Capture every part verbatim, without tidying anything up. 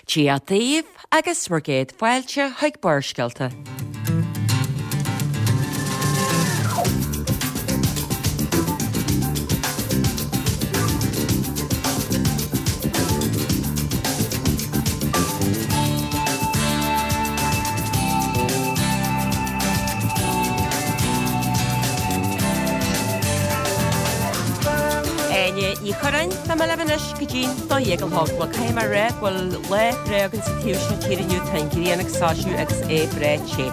Dia daoibh agus bhur gcéad fáilte chuig Barrscéalta. Áine Ní Churráin, Tá mé libh anois go dtí'n dó dhéag a chlog. Bhuel, caithfidh mé a rá go bhfuil lá breá againn sa taobh seo tíre inniu, tá an ghrian ag soilsiú agus é breá te.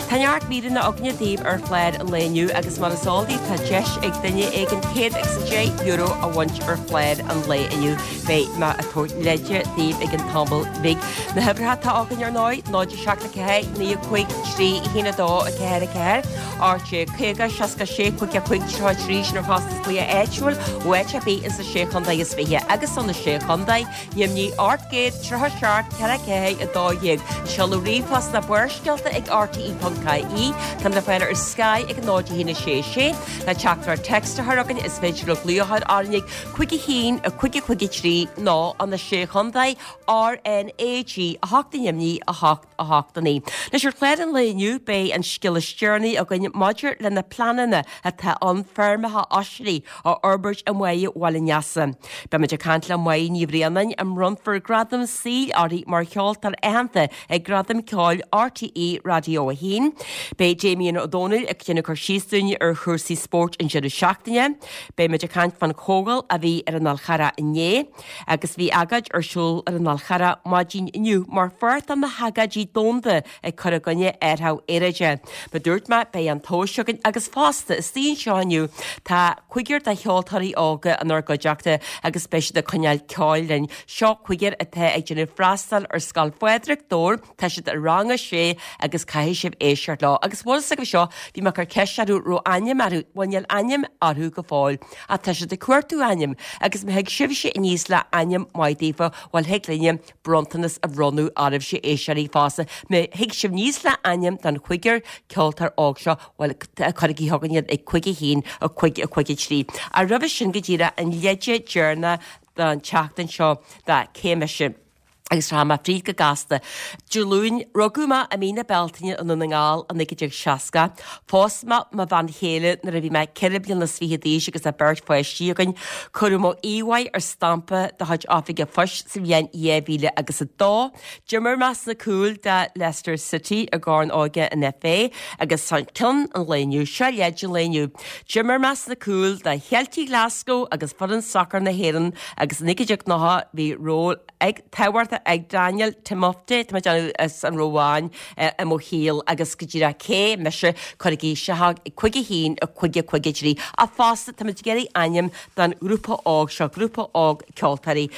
Tá neart míreanna againne daoibh ar chlár an lae inniu agus mar is eol daoibh tá deis ag duine éigin céad agus a deich euro a bhaint ar chlár an lae inniu. Beidh mé ag tabhairt leide daoibh i gcionn tamaill bhig. Na huimhreacha atá againn ar ndóigh, náid a seacht a ceathair, naoi a cúig, trí, a haon a dó, a ceathair a ceathair, ocht déag caoga, seasca sé, cúig a cúig, tríocha a trí, sin ar chostas glaoch áitiúil ó áit ar bith insa Sé Chontae is Fiche agus sna Sé Chontae, ainmnigh ocht gcéad tríocha seacht ceithre ceathair a dó dhéag. Seoladh ríomhphost ná Barrscéalta ag rte ponc ie. Táimid le fáil ar Sky ag náid a haon a sé sé. Le teachtaireacht text a chur chugainn is féidir libh glaoch a chur orainn ag cúig a haon a cúig a cúig a trí nó an na Sé Chontae R N A G a hocht ainmnigh a hocht a hocht a naoi. Anois ar chlár an lae inniu beidh an scéal is deireanaí againn maidir le na pleananna atá ann feirmeacha oisrí a fhorbairt i mBaile Bhaile Neasa. Beimid ag caint le Máire Ní Bhraonáin a mbronnfar gradam saoil uirthi mar cheoltóir aitheanta ag Gradaim Ceoil RTÉ Raidió a haon. Beidh Damien Ó Dónaill ag déanamh cur síos dúinn ar chúrsaí spóirt an deireadh seachtaine. Beimid ag caint fán chomhdháil a bhí ar an Fhál Charrach inné agus bhí agóid ar siúl ar an Fhál Charrach maidin inniu mar pháirt de na hagóidí domhanda ag cur i gcoinne athrú aeráide. Mar dúirt mé, beidh an tomhas againn agus fosta istigh anseo inniu tá cúigear de cheoltóirí óga inár gcuideachta agus beidh siad ag coinneáil ceoil linn. Seo cúigear atá ag déanamh freastal ar Scoil Phádraig, Dobhar, tá siad i rang a sé agus caithfidh sibh éisteacht leo. Agus bhfuil fhios agaibh seo, bhí mé ag cur ceist orthu raibh ainm orthu, bhuel níl ainm orthu go fóill ach tá siad ag cuartú ainm agus má thig sibhse aníos le ainm maith daofa, bhuel thig linne bronntanas a bhronnadh oraibhse éisteoirí fosta. Má thig sibh aníos le ainm don chúigear ceoltóir óg seo, bhuel cuirigí chugainn iad ag cúig a haon, a cúig, a cúig a trí. Ach roimhe sin go díreach an leide deireanach don tseachtain seo de Cé Mise? Agus rachaidh mé fríd go gasta. Dé Luain, rugadh mé i mí na Bealtaine i nDún na nGall i naoi déag seasca. Phós mé mo bhean chéile nuair a bhí mé ceithre bliana is fiche d'aois agus tá beirt pháistí againn. Cuireadh mo íomhá ar stampa de chuid Oifig an Phoist sa bhliain dhá mhíle agus a dó. D'imir mé sna cúil do Leicester City i gCorn Óige an FA agus ceann an lae inniu, seo leid an lae inniu. D'imir mé sna cúil do Cheiltigh Glasgow agus foireann sacair na hÉireann agus i naoi déag nócha bhí ról ag tábhachtach ag Daniel Timofte, tá mé ag déanamh as an Rómáin, i mo shaol agus go díreach cé mise, cuirigí isteach cúig a haon, a cúig a cúig a trí. Ach fosta, tá muid ag iarraidh ainm don ghrúpa óg seo, grúpa óg ceoltóirí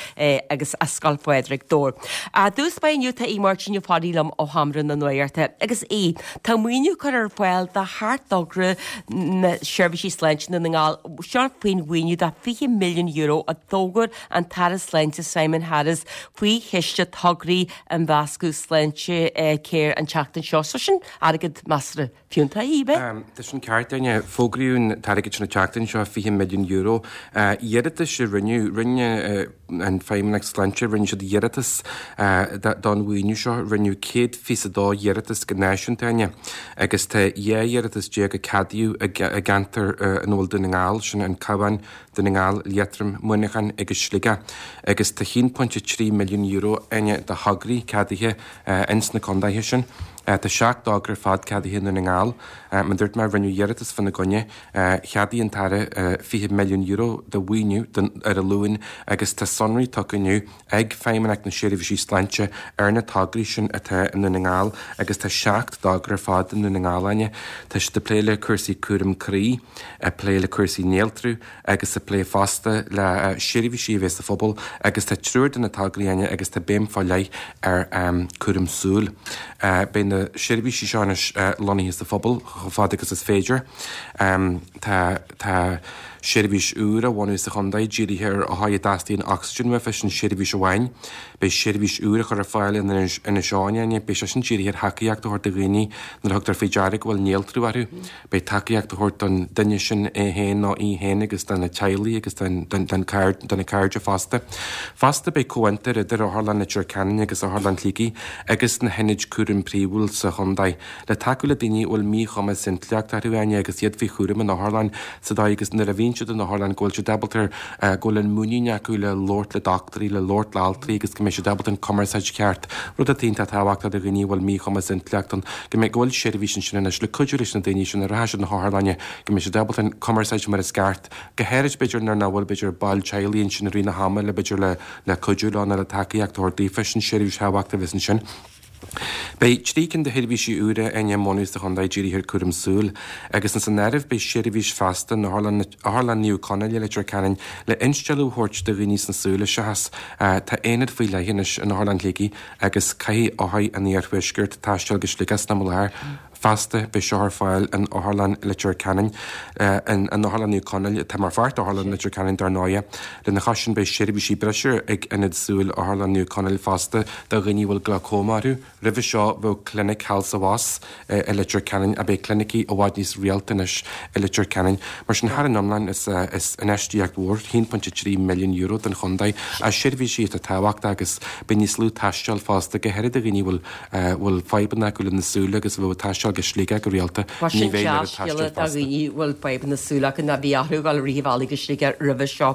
agus as Scoil Phádraig, Dobhar. I dtús báire inniu tá Aodh Máirtín Ó Fearraigh liom ó Sheomra na Nuachta. Agus Aodh, tá maoiniú curtha ar fáil do sheacht dtogra na seirbhísí sláinte i nDún na nGall, seo faoin mhaoiniú de fiche milliún euro a d'fhógair an tAire Sláinte Simon Harris faoi Chiste Tograí Imdhíonachta Sláintecare an tseachtain seo. So sin airgead measartha fiúntach, ab ea? Tá sin ceart, Áine. Fógraíodh an t-airgead sin an tseachtain seo, fiche milliún euro. Iarratais a rinneadh, rinne an Feidhmeannacht Sláinte, rinne siad iarratas don mhaoiniú seo. Rinneadh céad fiche a dó iarratas go náisiúnta, Áine, agus tá dhá iarratas déag a ceadaíodh i gceantar ina bhfuil Dún na nGall, sin an Cabhán, Dún na nGall, Liatroim, Muineachán agus Sligeach, agus tá haon pointe trí milliún euro, Áine, do thograí ceadaithe ins na condaetha sin. Tá seacht dtogra ar fad ceadaithe i nDún na nGall. Mar a dúirt mé, rinneadh iarratas fána gcoinne. Cheadaigh an tAire fiche milliún euro de mhaoiniú ar an Luan agus tá sonraí tugtha inniu ag Feidhmeannacht na Seirbhísí Sláinte ar na tograí sin atá i nDún na nGall agus tá seacht dtogra ar fad i nDún na nGall, Áine. Tá siad ag plé le cúrsaí cúram croí, ag plé le cúrsaí néaltrú, agus ag plé fosta le seirbhísí a bheas sa phobal agus tá triúr de na tograí, Áine, agus tá béim fá leith ar cúram súl. Beidh na seirbhísí seo anois lonnaithe sa phobal chomh fada agus is féidir. Tá tá Seirbhís úr á bhunú sa chontae dírithe ar othair a dteastaíonn ocsaigin uafa, sin seirbhís amháin. Beidh seirbhís úr á chur ar fáil in Inis Eoghain, Áine, beidh sé sin dírithe ar thacaíocht a thabhairt do dhaoine nuair a thugtar faoi deara go bhfuil néaltrú orthu. Beidh tacaíocht a thabhairt don duine sin é féin nó í féin agus do na teaghlaigh agus don do na cairde fosta. Fosta beidh comhfhiontar idir Otharlann Leitir Ceanainn agus Otharlann Shligigh agus na hionaid cúraim príomhúil sa chontae le tacú le daoine a bhfuil míchumas intleachta orthu, Áine, agus iad faoi chúram in otharlann sa dóigh agus nuair a bhíonn siad in otharlann go bhfuil siad ábalta go bhfuil an muinín acu le labhairt le dochtúirí, le labhairt le altraí agus go mbeidh siad ábalta an cumarsáid cheart, rud atá iontach tábhachtach do dhaoine a bhfuil míchumas intleachta ann, go mbeidh go bhfuil seirbhís ansin anois le cuidiú leis na daoine sin a rachaidh siad na hotharlainne, go mbeidh siad ábalta an cumarsáid mar is ceart, go háirid b'fhéidir nuair nach bhfuil b'fhéidir baill teaghlaigh ansin i rith na hama le b'fhéidir le le cuidiú leo nó le tacaíocht a thabhairt daofa, sin seirbhís thábhachtach a bheas ansin. Beidh trí cinn de sheirbhísí úra á mbunú sa chontae dírithe ar cúram súl, agus ins an áireamh beidh seirbhís feasta in Otharlann Otharlann Naomh Conaill i Leitir Ceanainn le instealladh a thabhairt do dhaoine sna súile seachas tá aonad faoi leith anois in Otharlann Shligigh agus caithfidh othair an iarthuaiscirt taisteal go Sligeach sna láthair. Feasta, beidh seo ar fáil in Otharlann Leitir Ceanainn, in Otharlann Naomh Conaill, atá mar pháirt d'Otharlann Leitir Ceanainn dar ndóighe. Lena chois sin beidh seirbhísí breise ag Ionad Súl Otharlann Naomh Conaill fosta do dhaoine a bhfuil glaucoma orthu. Roimhe seo bheadh clinic thall sa bhfos i Leitir Ceanainn ach beidh clinicí i bhfad níos rialta anois i Leitir Ceanainn. Mar sin thar an iomlán is is infheistíocht mhór, a haon pointe trí milliún euro don chontae, as seirbhísí atá tábhachtach agus beidh níos lú taistil fosta, go háirithe do dhaoine a bhfuil bhfuil fadhbanna acu lena súile agus a bheadh ag taisteal go Sligeach go rialta, Mar ní sin bheidh an oiread dea-scéala taistil do fosta. dhaoine a bhfuil fadhbanna súl acu ná bhí orthu dul rith an bhealaigh go Sligeach roimhe seo.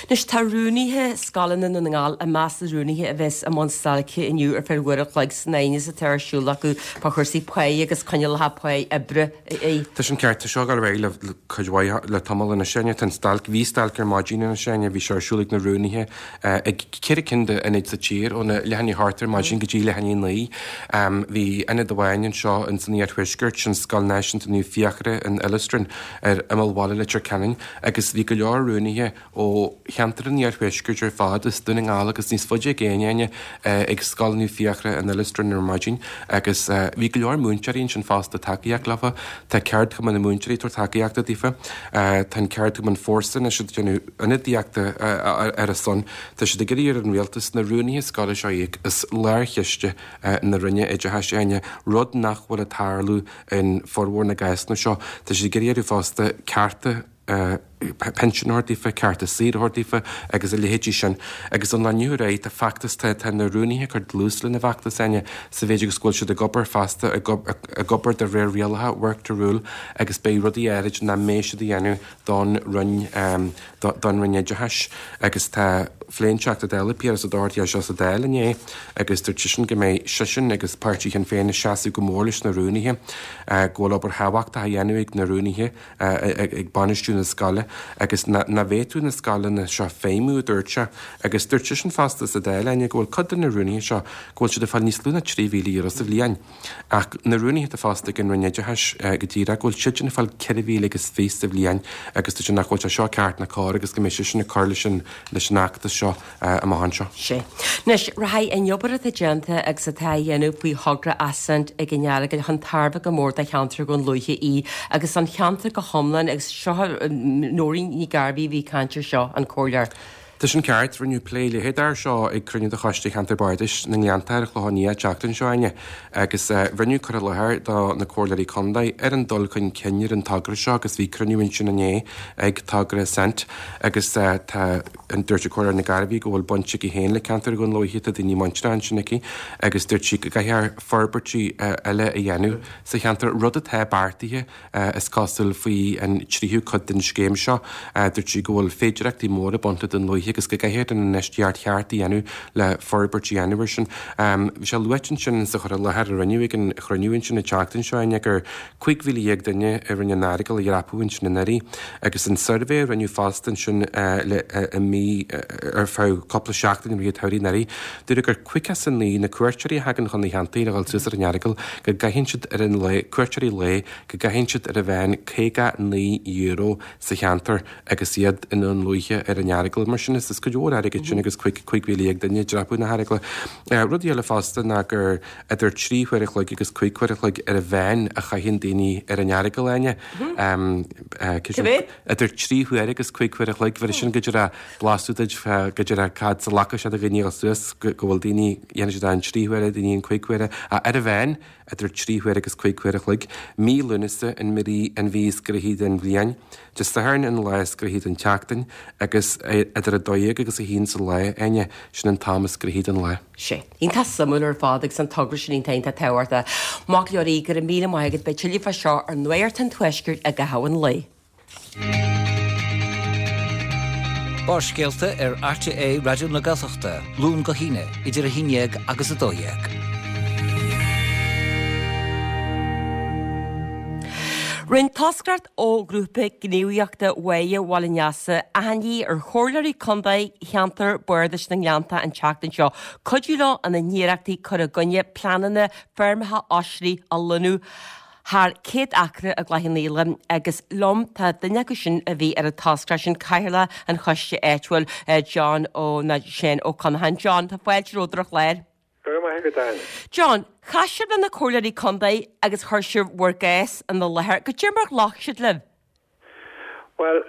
Anois tá rúnaithe scoileanna na nGall i measc na rúnaithe a bheas i mbun stailce inniu ar feadh uair a chloig san aighneas atá ar siúl acu fá chúrsaí páí agus coinníollacha páí oibre. Tá sin ceart, tá seo ag dul ar aghaidh le cuid mhaith le tamall anois Áine. Tá an stailc, bhí stailc ar maidin anois Áine, bhí sé ar siúl ag na rúnaithe ag ceithre cinn d'ionaid sa tír óna leath i ndiaidh a hocht ar maidin go dtí leath i ndiaidh a naoi. Bhí ionad amháin anseo ins an iarthuaisceart, sin Scoil Náisiúnta Naomh Fiachra in Illistrin ar imeall bhaile Leitir Ceanainn agus bhí go leor rúnaithe ó cheantar an iarthuaiscirt ar fad, as Dún na nGall agus níos faide i gcéin Áine, ag Scoil Naomh Fiachra in Illistrin ar maidin agus bhí go leor múinteoirí ansin fosta tacaíocht leofa. Tá ceardchumann na múinteoirí ag tabhairt tacaíochta daofa. Tá an ceardchumann Fórsa anois ag déanamh ionadaíochta ar a son. Tá siad ag iarraidh ar an rialtas na rúnaithe scoile seo a íoc as lárchiste na Roinne Oideachais, Áine, rud nach bhfuil ag tarlú in formhór na gcásanna seo. Tá siad ag iarraidh orthu fosta cearta pinsean a thabhairt daofa, cearta saoire a thabhairt daofa agus a leithéidí sin. Agus ón lá inniu ar aghaidh tá feachtas, tá tá na rúnaithe ag cur dlús lena bhfeachtas, Áine, sa mhéid agus go bhfuil siad ag obair feasta, ag ag obair de réir rialacha, work to rule, agus beidh rudaí áirid nach mbeidh siad a dhéanamh don Roinn don Roinn Oideachais. Agus tá phléigh an Teachta Dála Piaras Ó Dochartaigh é seo sa Dáil inné agus dúirt seisean go mbeidh seisean agus páirtí Shinn Féin ag seasamh go mór leis na rúnaithe, go bhfuil obair thábhachtach á dhéanamh ag na rúnaithe ag bainistiú na scoile agus nach bhféadfadh na scoileanna seo feidhmiú, a dúirt sé. Agus dúirt seisean fosta sa Dáil, Áine, go bhfuil cuid de na rúnaithe seo, go bhfuil siad ag fáil níos lú ná trí mhíle euro sa bhliain. Ach na rúnaithe atá fostaithe ag an Roinn Oideachais go díreach, go bhfuil siadsan ag fáil ceithre mhíle agus fiche sa bhliain agus dúirt sé nach bhfuil sé seo ceart ná cóir agus go mbeidh seisean ag cur leis an leis an fheachtas seo amach anseo. Sea. Anois, rachaidh an obair atá déanta agus atá á dhéanamh faoi thogra Ascent ag an Earagail chun tairbhe go mór do cheantar Dhún Lúiche í agus an cheantar go hiomlán agus seo Nóirín Ní Ghairbhí a bhí ag caint air seo, an comhairleoir. Tá sin ceart, rinneadh plé leitheadach air seo ag cruinniú de Choiste Cheantar Bardais na nGleannta ar an Chlochán Liath an tseachtain seo, Áine, agus rinneadh cur i láthair do na comhairleoirí contae ar an dul chun cinn ar an togra seo agus bhí cruinniú ansin inné ag togra Ascent agus tá dúirt an Comhairleoir Ní Ghairbhí go bhfuil baint aici féin le ceantar Dhún Lúiche, tá daoine muinteartha ansin aici agus dúirt sí go gcaithfear forbairtí eile a dhéanamh sa cheantar, rud atá beartaithe is cosúil faoi an tríú cuid den scéim seo. Dúirt sí go bhfuil féidearthachtaí móra ag baint le Dún Lúiche agus go gcaithfear an infheistíocht cheart a dhéanamh le forbairt a dhéanamh air sin. Bhí sé luaite ansin sa chur i láthair a rinneadh ag an chruinniú ansin an tseachtain seo Áine gur cúig mhíle dhéag duine a rinne an Earagail a dhreapadh ansin anuraidh agus an suirbhé a rinneadh fosta ansin le i mí ar feadh cúpla seachtain i rith an tsamhraidh anuraidh, dúradh gur caoga is a naoi na cuairteoirí a thagann chun na cheantair a dhul suas ar an Earagail go gcaitheann siad ar an lae, cuairteoirí lae, go gcaitheann siad ar a mheán caoga naoi euro sa cheantar agus iad i nDún Lúiche ar an Earagail. Mar sin sin, is cuid mhór airgid sin agus cúig mhíle dhéag duine ag dreapadh na hEaragaile. Rudaí eile fosta ná gur idir trí huaire a chloig agus cúig huaire a chloig ar a mheán a chaitheann daoine ar an Earagail, Áine. Idir trí huaire agus cúig huaire a chloig, bheir sin go dtí blaiseadh duit go dtí cad sa lacha sé do dhaoine suas go bhfuil daoine dhéanann siad an trí huaire, daoine an cúig huaire, ar a mheán idir trí huaire agus cúig huaire a chloig. Mí Lúnasa an mhí an mhí is gnoithí den bhliain, Dé Sathairn an lá is gnoithí den tseachtain agus idir a dó dhéag agus a haon sa lá, Áine, sin an t-am is gnoithí den lá. Sé. Iontach suimiúil ar fad agus an togra sin iontach iontach tábhachtach. Mac Leoraí, go raibh míle maith agat, beidh tuilleadh fá seo ar Nuacht an Tuaiscirt i gcaitheamh an lae. Barrscéalta ar RTÉ Raidió na Gaeltachta, Luan go hAoine, idir a haon déag agus a dó dhéag. Rinne toscaireacht ó ghrúpa gníomhaíochta Bháire Bhaile an Easa achainí ar chomhairleoirí contae cheantar Bardais na nGleannta an tseachtain seo cuidiú leo ina n-iarrachtaí cur i gcoinne pleananna feirmeacha oisrí a lonnú thar céad acra i gCloich Cheann Fhaola agus liom tá duine acu sin a bhí ar an toscaireacht sin, Cathaoirleach an Choiste Áitiúil, John Ó nó Seán Ó Conacháin. John, tá fáilte romhat ar an chlár. Go raibh maith agat, Áine. John, chas sibh le na comhairleoirí contae agus chuir sibh bhur gcás ina láthair. Goidé mar ghlac siad libh? Bhuel,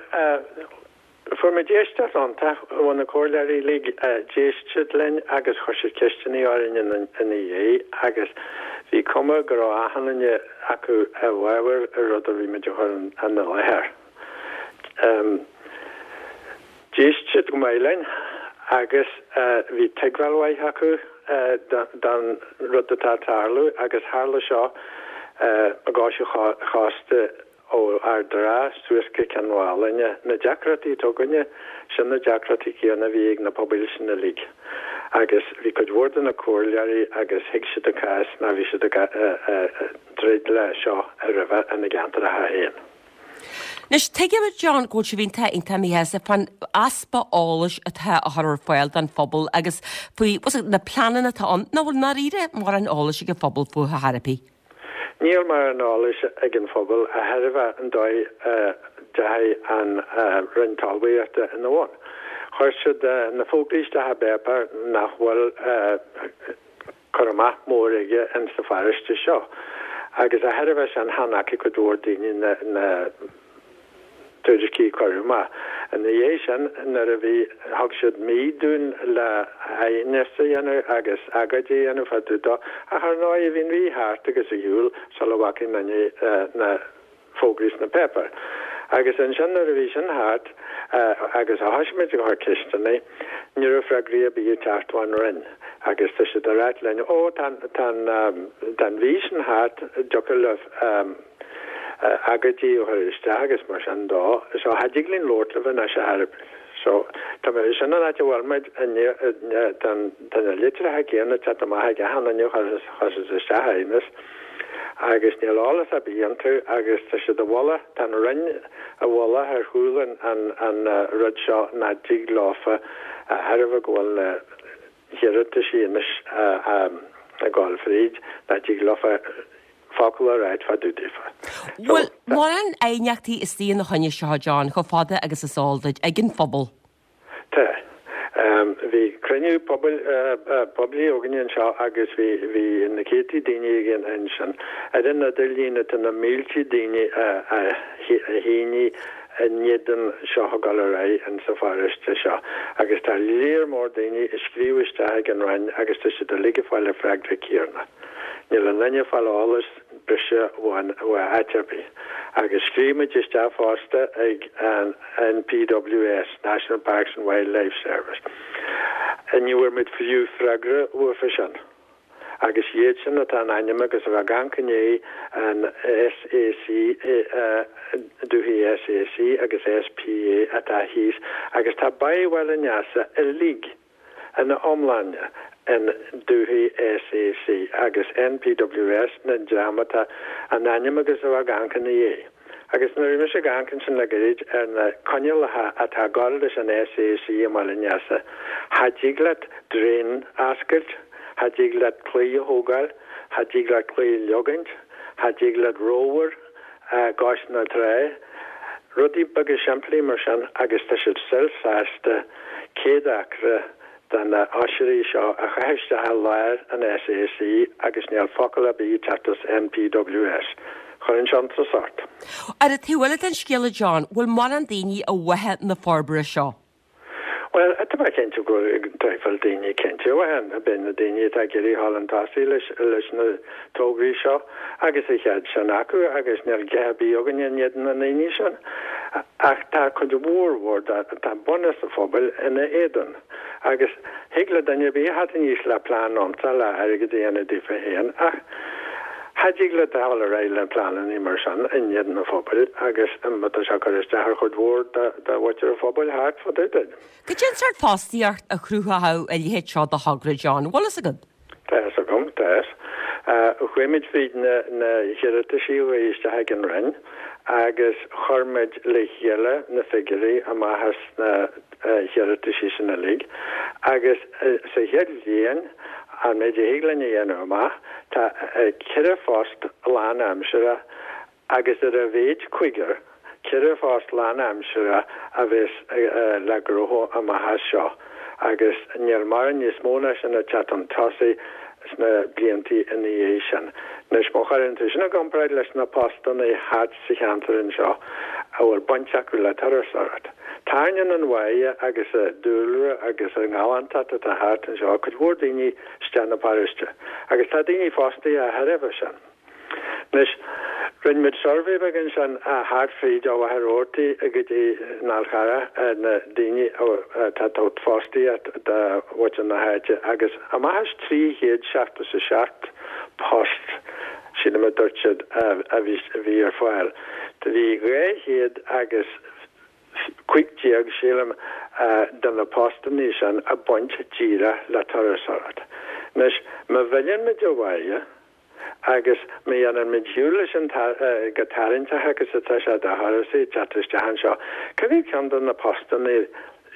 fuair muid éisteacht iontach ó na comhairleoirí uilig. D'éist siad linn agus chuir siad ceisteanna orainn ina dhiaidh agus bhí cuma go raibh achan duine acu i bhfabhar an rud a bhí muid a chur ina láthair. D'éist siad go maith linn agus bhí tuigbheáil mhaith acu don rud atá ag tarlú agus tharla seo i gcois an chósta ó Ard an Rátha suas go Cionn Mhálanna. Na deacrachtaí atá againne, sin na deacrachtaí céanna a bhí ag na pobail sin uilig. Agus bhí cuid mhór de na comhairleoirí agus thuig siad an cás mar bhí siad ag troid le seo roimhe ina gceantracha féin. Anois, tuigim, a John, go bhfuil sibh iontach iontach míshásta fán easpa eolais atá á chur ar fáil don phobal agus faoi na pleananna atá ann, nach bhfuil i ndáiríre mórán eolais ag an phobal fúthu ar chor ar bith. Níl mórán eolais ag an phobal de thairbhe an dóigh a dteachaigh an Roinn Talmhaíochta ina bhun. Chuir siad na fógraí isteach i bpáipéar nach bhfuil cur amach mór aige in sa pharóiste seo agus de thairbhe sin chan fhaca cuid mhór daoine na na tuairiscí a cuireadh amach. Ina dhiaidh sin nuair a bhí thug siad mí dúinn le haighneas a dhéanamh agus agóid a dhéanamh fá dtaobh dó ach ar ndóigh bhí an mhí thart agus ar shiúl sula bhfaca aon duine na fógraí sna páipéir. Agus ansin nuair a bhí sin thart agus a thoisigh muid ag cur ceisteanna, ní raibh freagraí ar bith ag teacht ón Roinn agus tá siad ag ráit linn, ó tá tá an tá an mhí sin thart, dtiocfadh libh agóidí a chur isteach agus mar sin dó. So cha dtig linn labhairt libh anois ar chor ar bith. So tá mé sin an áit a bhfuil muid inniu tá tá na litreacha céanna ag teacht amach ag achan duine a chuir isteach aighneas agus níl eolas ar bith iontu agus tá siad i bhfolach, tá an Roinn i bhfolach ar chúl an an an rud seo nach dtig leofa de thairbhe go bhfuil na hiarrataisí anois ag gabháil fríd, nach dtig leofa focal a ráit fá dtaobh daofa. Bhfuil mórán aighneachtaí istigh ina choinne seo, John, chomh fada agus is eol duit, ag an phobal? Tá. Bhí cruinniú pobail poiblí againne anseo agus bhí bhí na céadtaí daoine againn ansin. Ar an idirlíon tá na mílte daoine a a shínigh in éadan seo a ghabháil ar aghaidh in sa pharóiste seo agus tá léar mór daoine ag scríobh isteach ag an Roinn agus tá siad uilig ag fáil an freagra céanna. Níl aon duine ag fáil eolas breise uainn ó áit ar bith. Agus scríobh muid isteach fosta ag an NPWS, National Parks and Wildlife Service. Ní bhfuair muid fiú freagra uafa sin. Agus iad sin atá in ainm agus a bheith ag amharc i ndiaidh an SAC, dúthaigh SAC agus SPA atá thíos agus tá Baile Bhaile an Easa uilig ina iomláine in dúthaigh SAC agus NPWS na dream atá in ainm agus a bheith ag amharc ina dhiaidh. Agus nuair a bhí mise ag amharc ansin le gairid ar na coinníollacha atá ag gabháil leis an SAC i mBaile an Easa, cha dtig leat draein a oscailt, cha dtig leat claí a thógáil, cha dtig leat claí a leogaint, cha dtig leat ramhar i gcois na trá, rudaí beaga simplí mar sin agus tá siad still sásta céad acra de na oisrí seo a chaitheamh isteach i lár an SAC agus níl focal ar bith ag teacht as NPWS. Chuireann sé iontas ort. Ar an taobh eile den scéal a John, bhfuil mórán daoine a mhothaigh na forbartha seo? Bhuel, tá mé cinnte go bhfuil daoine cinnte a mhothaíonn, b'in na daoine atá ag iarraidh dhul chun tosaigh leis leis na tograí seo agus a chead sin acu agus níl guth ar bith againn in éadan na ndaoine sin. Ach tá cuid mhór mhór tá bunús an phobail ina éadan. Agus thig le duine ar bith a theacht aníos le plean iontach le airgead a dhéanamh daofa féin ach cha dtig leat a dhul ar aghaidh le pleananna mar sin in éadan an phobail agus má tá sé ag cur isteach ar chuid mhór de mhuintir an phobail thart fá dtaobh de. Cad é an sórt fostaíocht a chruthódh a leithéid seo de thogra, John? Bhfuil fhios agat? Tá fhios agam, tá fhios. Chuaigh muid fríd na na hiarrataisí a chuaigh isteach ag an Roinn agus chuir muid le chéile na figiúirí amach as na hiarrataisí sin uilig agus sa chéad bhliain, an méid a thig linn a dhéanamh amach, tá ceithre phost lánaimseartha agus ar a mhéid cúigear, ceithre phost lánaimseartha a bheas le gnóthú amach as seo agus níl mórán níos mó ná sin ag teacht chun tosaigh sna blianta ina dhiaidh sin. Anois, má chuireann tú sin i gcomparáid leis na postanna thart sa cheantar anseo a bhfuil baint acu le turasóireacht, tarraingíonn an bhaile agus an dúlra agus an ghalántacht atá thart anseo cuid mhór daoine isteach 'na paróiste agus tá daoine fostaithe de thairbhe sin. Anois, rinne muid suirbhé beag ansin thart fríd ó Mhachaire Rabhartaigh go dtí an Fhál Charrach ar na daoine atá ag tabhairt fostaíocht do mhuintir na háite agus amach as trí chéad seachtó is a seacht post, sílim a dúirt siad, a bhí ar fáil. Do bhí dhá chéad agus cúig déag, sílim, de na postanna sin ag baint díreach le turasóireacht. Anois, má mhilleann muid an bhaile agus má dhéanann muid siúl leis an chomh tarraingteach agus atá sé do thurasóirí teacht isteach anseo, cá mhéad ceann de na postanna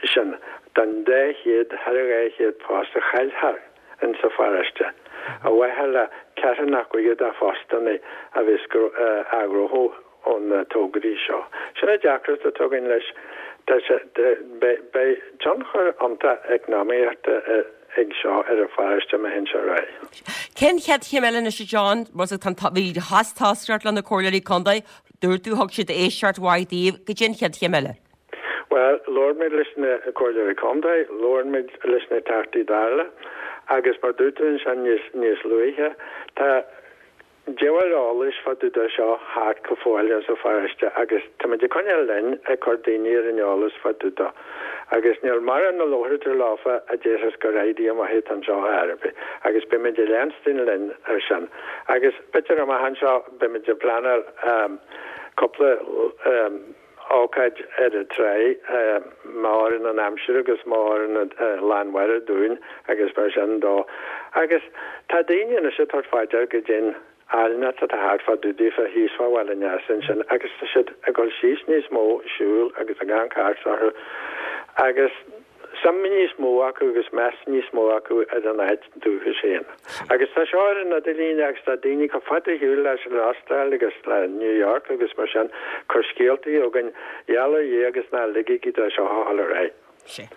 sin den dhá chéad, thar a dhá chéad post a chaillfear insa pharóiste, ar mhaithe le ceathair nó cúigear de phostanna a bheas á ghnóthú ó na tograí seo. Sin an deacracht atá againn leis. Tá sé, beidh tionchar iontach eacnamaíochta ag seo ar an pharóiste má théann sé ar aghaidh. Cén chéad chéim eile anois a John? Bhí chas toscaireacht le na comhairleoirí contae, dúirt tú, thug siad éisteacht mhaith daoibh, cad é an chéad chéim eile? Bhuel, labhair muid leis na comhairleoirí contae, labhair muid leis na Teachtaí Dála agus mar dúirt tú ansin níos, níos luaithe, tá diabhal eolais fá dtaobh de seo thart go fóill insa pharóiste agus táimid ag coinneáil linn ag cur daoine ar an eolas fá dtaobh de. Agus níl mórán a labhraítear leofa a déarfas gur idea maith atá anseo ar bith agus beimid ag leanstan linn ar sin. Agus b'fhéidir amach anseo beimid ag pleanáil cúpla ócáid ar an tráigh, má oireann an aimsir agus má oireann Lá an Mháire dúinn agus mar sin dó. Agus tá daoine anois ag tabhairt fá dear goidé an áilneacht atá thart fá dtaobh daofa thíos fá Bhaile an Easa ansin agus tá siad ag dul síos níos mó ag siúl agus ag amharc thart orthu agus suim níos mó acu agus meas níos mó acu ar an áit dúchais féin. Agus tá seo ar an idirlíon agus tá daoine chomh fada ar shiúl leis an Astráil agus le New York agus mar sin cur scéaltaí chugainn, gheall ar Dhia agus ná ligigí dó seo a dhul ar aghaidh. Sea.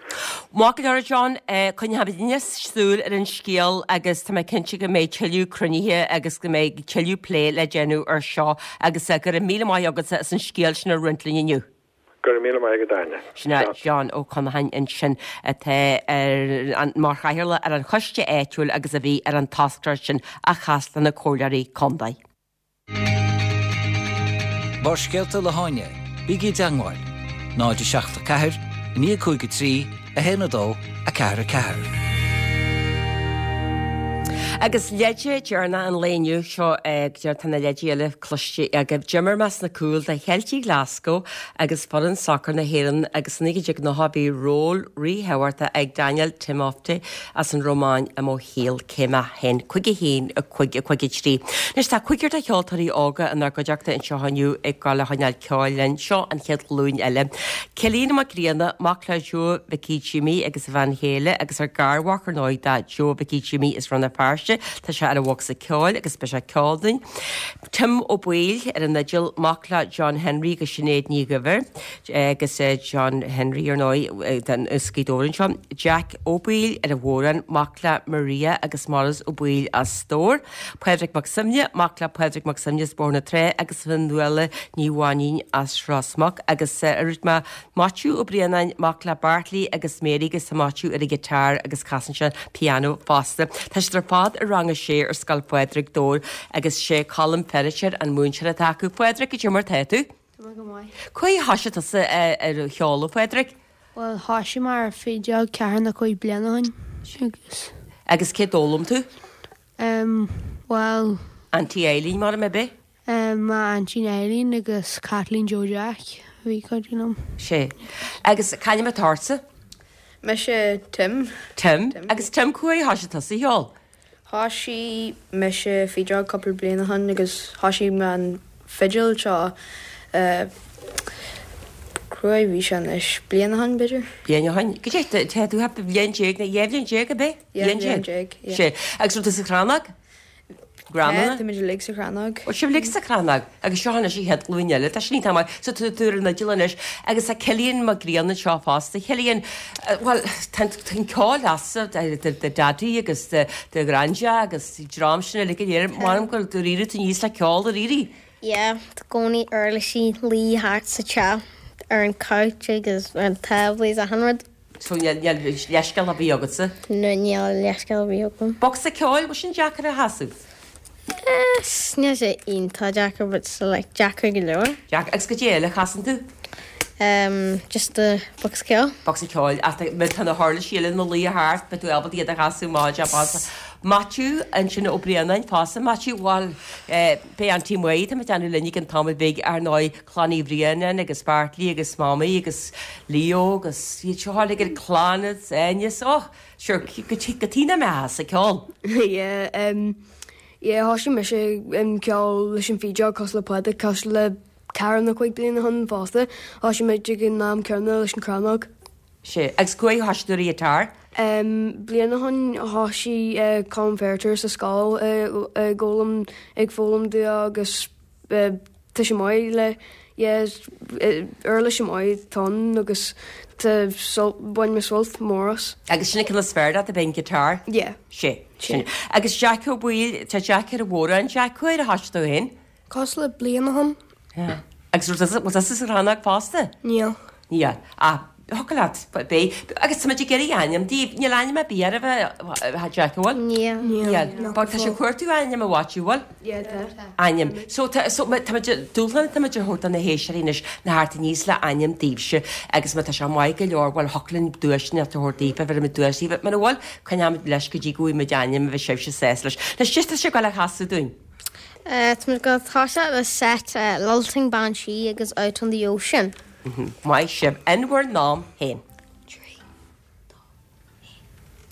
Maith go leor, a John, coinneoidh muidne súil ar an scéal agus tá mé cinnte go mbeidh tuilleadh cruinnithe agus go mbeidh tuilleadh plé le déanamh ar seo agus go raibh míle maith agatsa as an scéal sin a roinnt linn inniu. Go raibh míle maith agat, Áine. Sin é John Ó Conacháin ansin atá ar mar chathaoirleach ar an choiste áitiúil agus a bhí ar an toscaireacht sin a chas le na comhairleoirí contae. Barrscéalta le hÁine, bígí i dteagmháil, náid a seacht a ceathair, naoi cúig a trí, a haon a dó, a ceathair a ceathair. Agus leide deireanach an lae inniu seo tá na leidí eile cloiste agaibh. D'imir mé sna cúil do Cheiltigh Glasgow agus foireann sacair na hÉireann agus i naoi déag nócha bhí ról ríthábhachtach ag Daniel Timofte as an Rómáin i mo shaol. Cé mé féin? Cúig a haon, a cúig, a cúig a trí. Anois tá cúigear de cheoltóirí óga inár gcuideachta anseo inniu ag gabháil a choinneáil ceoil linn. Seo an chéad ghlúin eile. Cillian Mac Grianna, mac le Joe Mhicí Jimí agus a bhean chéile agus ar garmhac ar ndóigh do Joe Mhicí Jimí as Rann na Feirste. Feirste. Tá sé ar an bhocsa ceoil agus beidh sé ag ceol dúinn. Tim Ó Baoill ar an fhidil, mac le John Henry agus Sinéad Ní Dhuibhir agus John Henry ar ndóigh den as Gaoth Dobhair anseo. Jack Ó Baoill ar an bhodhrán, mac le Maria agus Maurice Ó Baoill as Dobhar. Pádraig Mac Suibhne, mac le Pádraig Mac Suibhne as Bóthar na Trá agus Fionnuala Ní Mhainín as Ros Muc agus ar ma Maitiú Ó Braonáin, mac le Bartley agus Mary agus tá Maitiú ar an guitar agus casann sé piano fosta. Tá siad ar fad i rang a sé ar Scoil Phádraig Dobhar agus sé Colm Feiritéar an múinteoir atá acu. Phádraig, cad é mar tá tú? Tá go maith. Cá huair a thosaigh tusa ar an cheol, a Phádraig? Bhuel, thosaigh mé ar fideog ceathair nó cúig bliana ó shin agus. Agus cé d'fhoghlaim tú? Um, well. Auntie Eileen mar a bith? Um, m'aintín Eileen agus Kathleen Joe Jack a bhí cuidiú liom. Sé. Agus c'ainm atá ortsa? Mise Tim. Tim. Tim. Agus Tim cá huair a thosaigh tusa ag ceol? Thosaigh mise fideog cúpla bliain ó shin agus thosaigh mé an fidil seo uh, cá huair a bhí sé anois bliain ó shin b'fhéidir. Bliain ó shin. Go dté tá tú thart bliain déag nó dhá bhliain déag ab é? Bliain déag. Sé. Agus raibh tú sa chrannóg? Grandma? Tá muid uilig sa chrannóg. Ó sibh uilig sa chrannóg agus seo anois an chéad ghlúin eile. Tá sin iontach maith. So tú tú ar an fhidil anois agus tá Cillian Mac Grianna anseo fosta. Cillian, bhuel, tá an ceol leatsa do do daidí agus do do ghraindea agus dream sin uilig go léir. M'anam gur éirigh tú aníos le ceol ar éirigh. Yeah, tá gcónaí uirlisí luí thart sa teach ar an couch agus ar an tábla is achan rud. So níl leithscéal ar bith agatsa? No, níl leithscéal ar bith agam. Bocsa ceoil, bhfuil sin deacair a chasadh? Níl sé iontach deacair, but so like deacair go leor. Deacair, agus cad é eile a chasann tú? Um, just the bocsa ceoil. Bocsa ceoil, ach má tá na huirlisí eile ina luí thart, beidh tú ábalta iad a chasadh maith fosta. Maitiú ansin Ó Braonáin fosta, Maitiú, bhuel, beidh Auntie Maí, tá mé ag déanamh linn ag an tamall beag ar ndóigh, Clann Uí Bhraonáin agus Bartley agus Mamaí agus Leo agus iad seo uilig ar clann is Áine, oh, sure, go dtí na mé sa ceol. Yeah, um, yeah, thosaigh mise um, ceol leis an fídeog cosúil le Pádraig, cosúil le ceathair nó cúig bliana ó shin fosta. Thosaigh muid ag an am céanna leis an chrannóg. Sé, agus cá huair a thosaigh tú ar an ghiotár? Um, bliain ó shin thosaigh uh, Colm Feiritéar sa scoil uh, ag foghlaim ag foghlaim dúinn agus uh, tá sé maith le yeah, uirlis maith ton agus tá bhain mé sult mór as. Agus sin an is fearr leat ab é an guitar? Yeah. Sé, sin. Agus Jack Ó Baoill, tá Jack ar an bhodhrán, Jack, cá huair a thosaigh tú féin? Cosúil le bliain ó shin. Yeah. Agus bhfuil tusa sa chrannóg fosta? Níl. Níl. Ah, thiocfadh leat, beidh. Agus tá muid ag iarraidh ainm daoibh. Níl ainm ar bith oraibh, a Jack, an bhfuil? Níl. Níl. Tá sibh ag cuartú ainm a Mhaitiú, bhfuil? Yeah, tá. Ainm. So, tá, so, tá muid, dúshlán atá muid a thabhairt do na héisteoirí anois ná theacht aníos le ainm daoibhse agus má tá sé maith go leor, bhuel, thiocfadh linn duaiseanna a thabhairt daoibh, bheir muid duais daoibh. Mura bhfuil, coinneoimid leis go dtí go bhfaighidh muid ainm a bheidh sibhse sásta leis. Anois, cad tá sibh ag gabháil a chasadh dúinn? Uh, tá muid ag toiseacht le set uh, Lilting Banshee agus Out on the Ocean. Maith sibh, in bhur n-am féin. Trí, dó,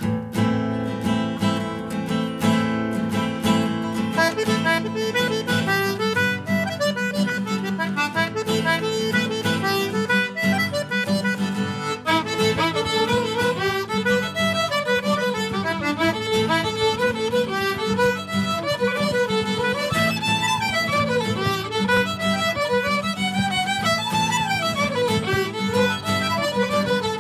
haon. Thank you.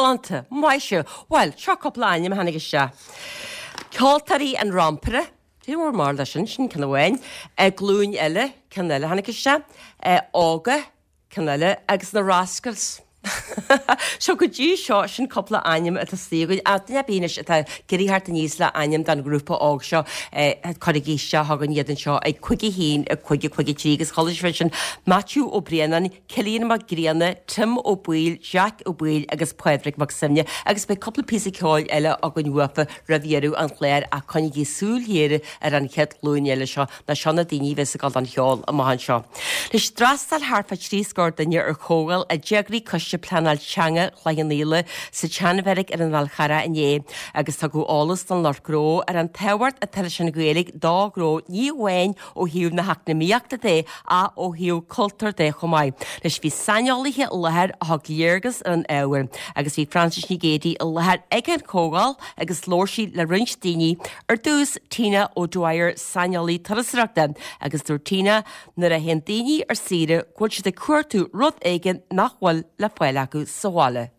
Galánta. Maith sibh. Bhuel, seo cúpla ainm a tháinig isteach. Ceoltóirí an Rampaire, Cé bhur mar leis sin, sin ceann amháin. Glúin Eile, ceann eile a tháinig isteach. Óga, ceann eile, agus na Rascals. So go dtí seo, sin cúpla ainm atá istigh againn. Ach duine ar bith anois atá ag iarraidh theacht aníos le ainm don ghrúpa óg seo, cuirigí isteach chugainn iad anseo ag cúig a haon, a cúig, a cúig a trí agus chuala sibh ansin Maitiú Ó Braonáin, Cillian Mac Grianna, Tim Ó Baoill, Jack Ó Baoill agus Pádraig Mac Suibhne agus beidh cúpla píosa ceoil eile againn uafa roimh dheireadh an chláir ach coinnigí súil ghéar ar an chéad ghlúin eile seo nó seo na daoine a bheas ag dul don cheol amach anseo. Anois d'fhreastail thart fá trí scór duine ar chomhdháil a d'eagraigh Coiste Pleanáil Teanga Chloich Cheann Fhaola sa tSeanbheairic ar an Fhál Charrach inné agus tugadh eolas don lucht gnó ar an tábhacht atá leis an Ghaeilge do ghnó ní amháin ó thaobh na heacnamaíochta de ach ó thaobh cultúir de chomh maith. Anois bhí saineolaithe i láthair a thug léargas ar an ábhar agus bhí Frances Nic Géadaigh i láthair ag an chomhdháil agus labhair sí le roinnt daoine, ar dtús Tina O'Dwyer, saineolaí turasóireachta, agus dúirt Tina nuair a théann daoine ar saoire go bhfuil siad ag cuartú rud éigin nach bhfuil le fáil acu sa bhaile.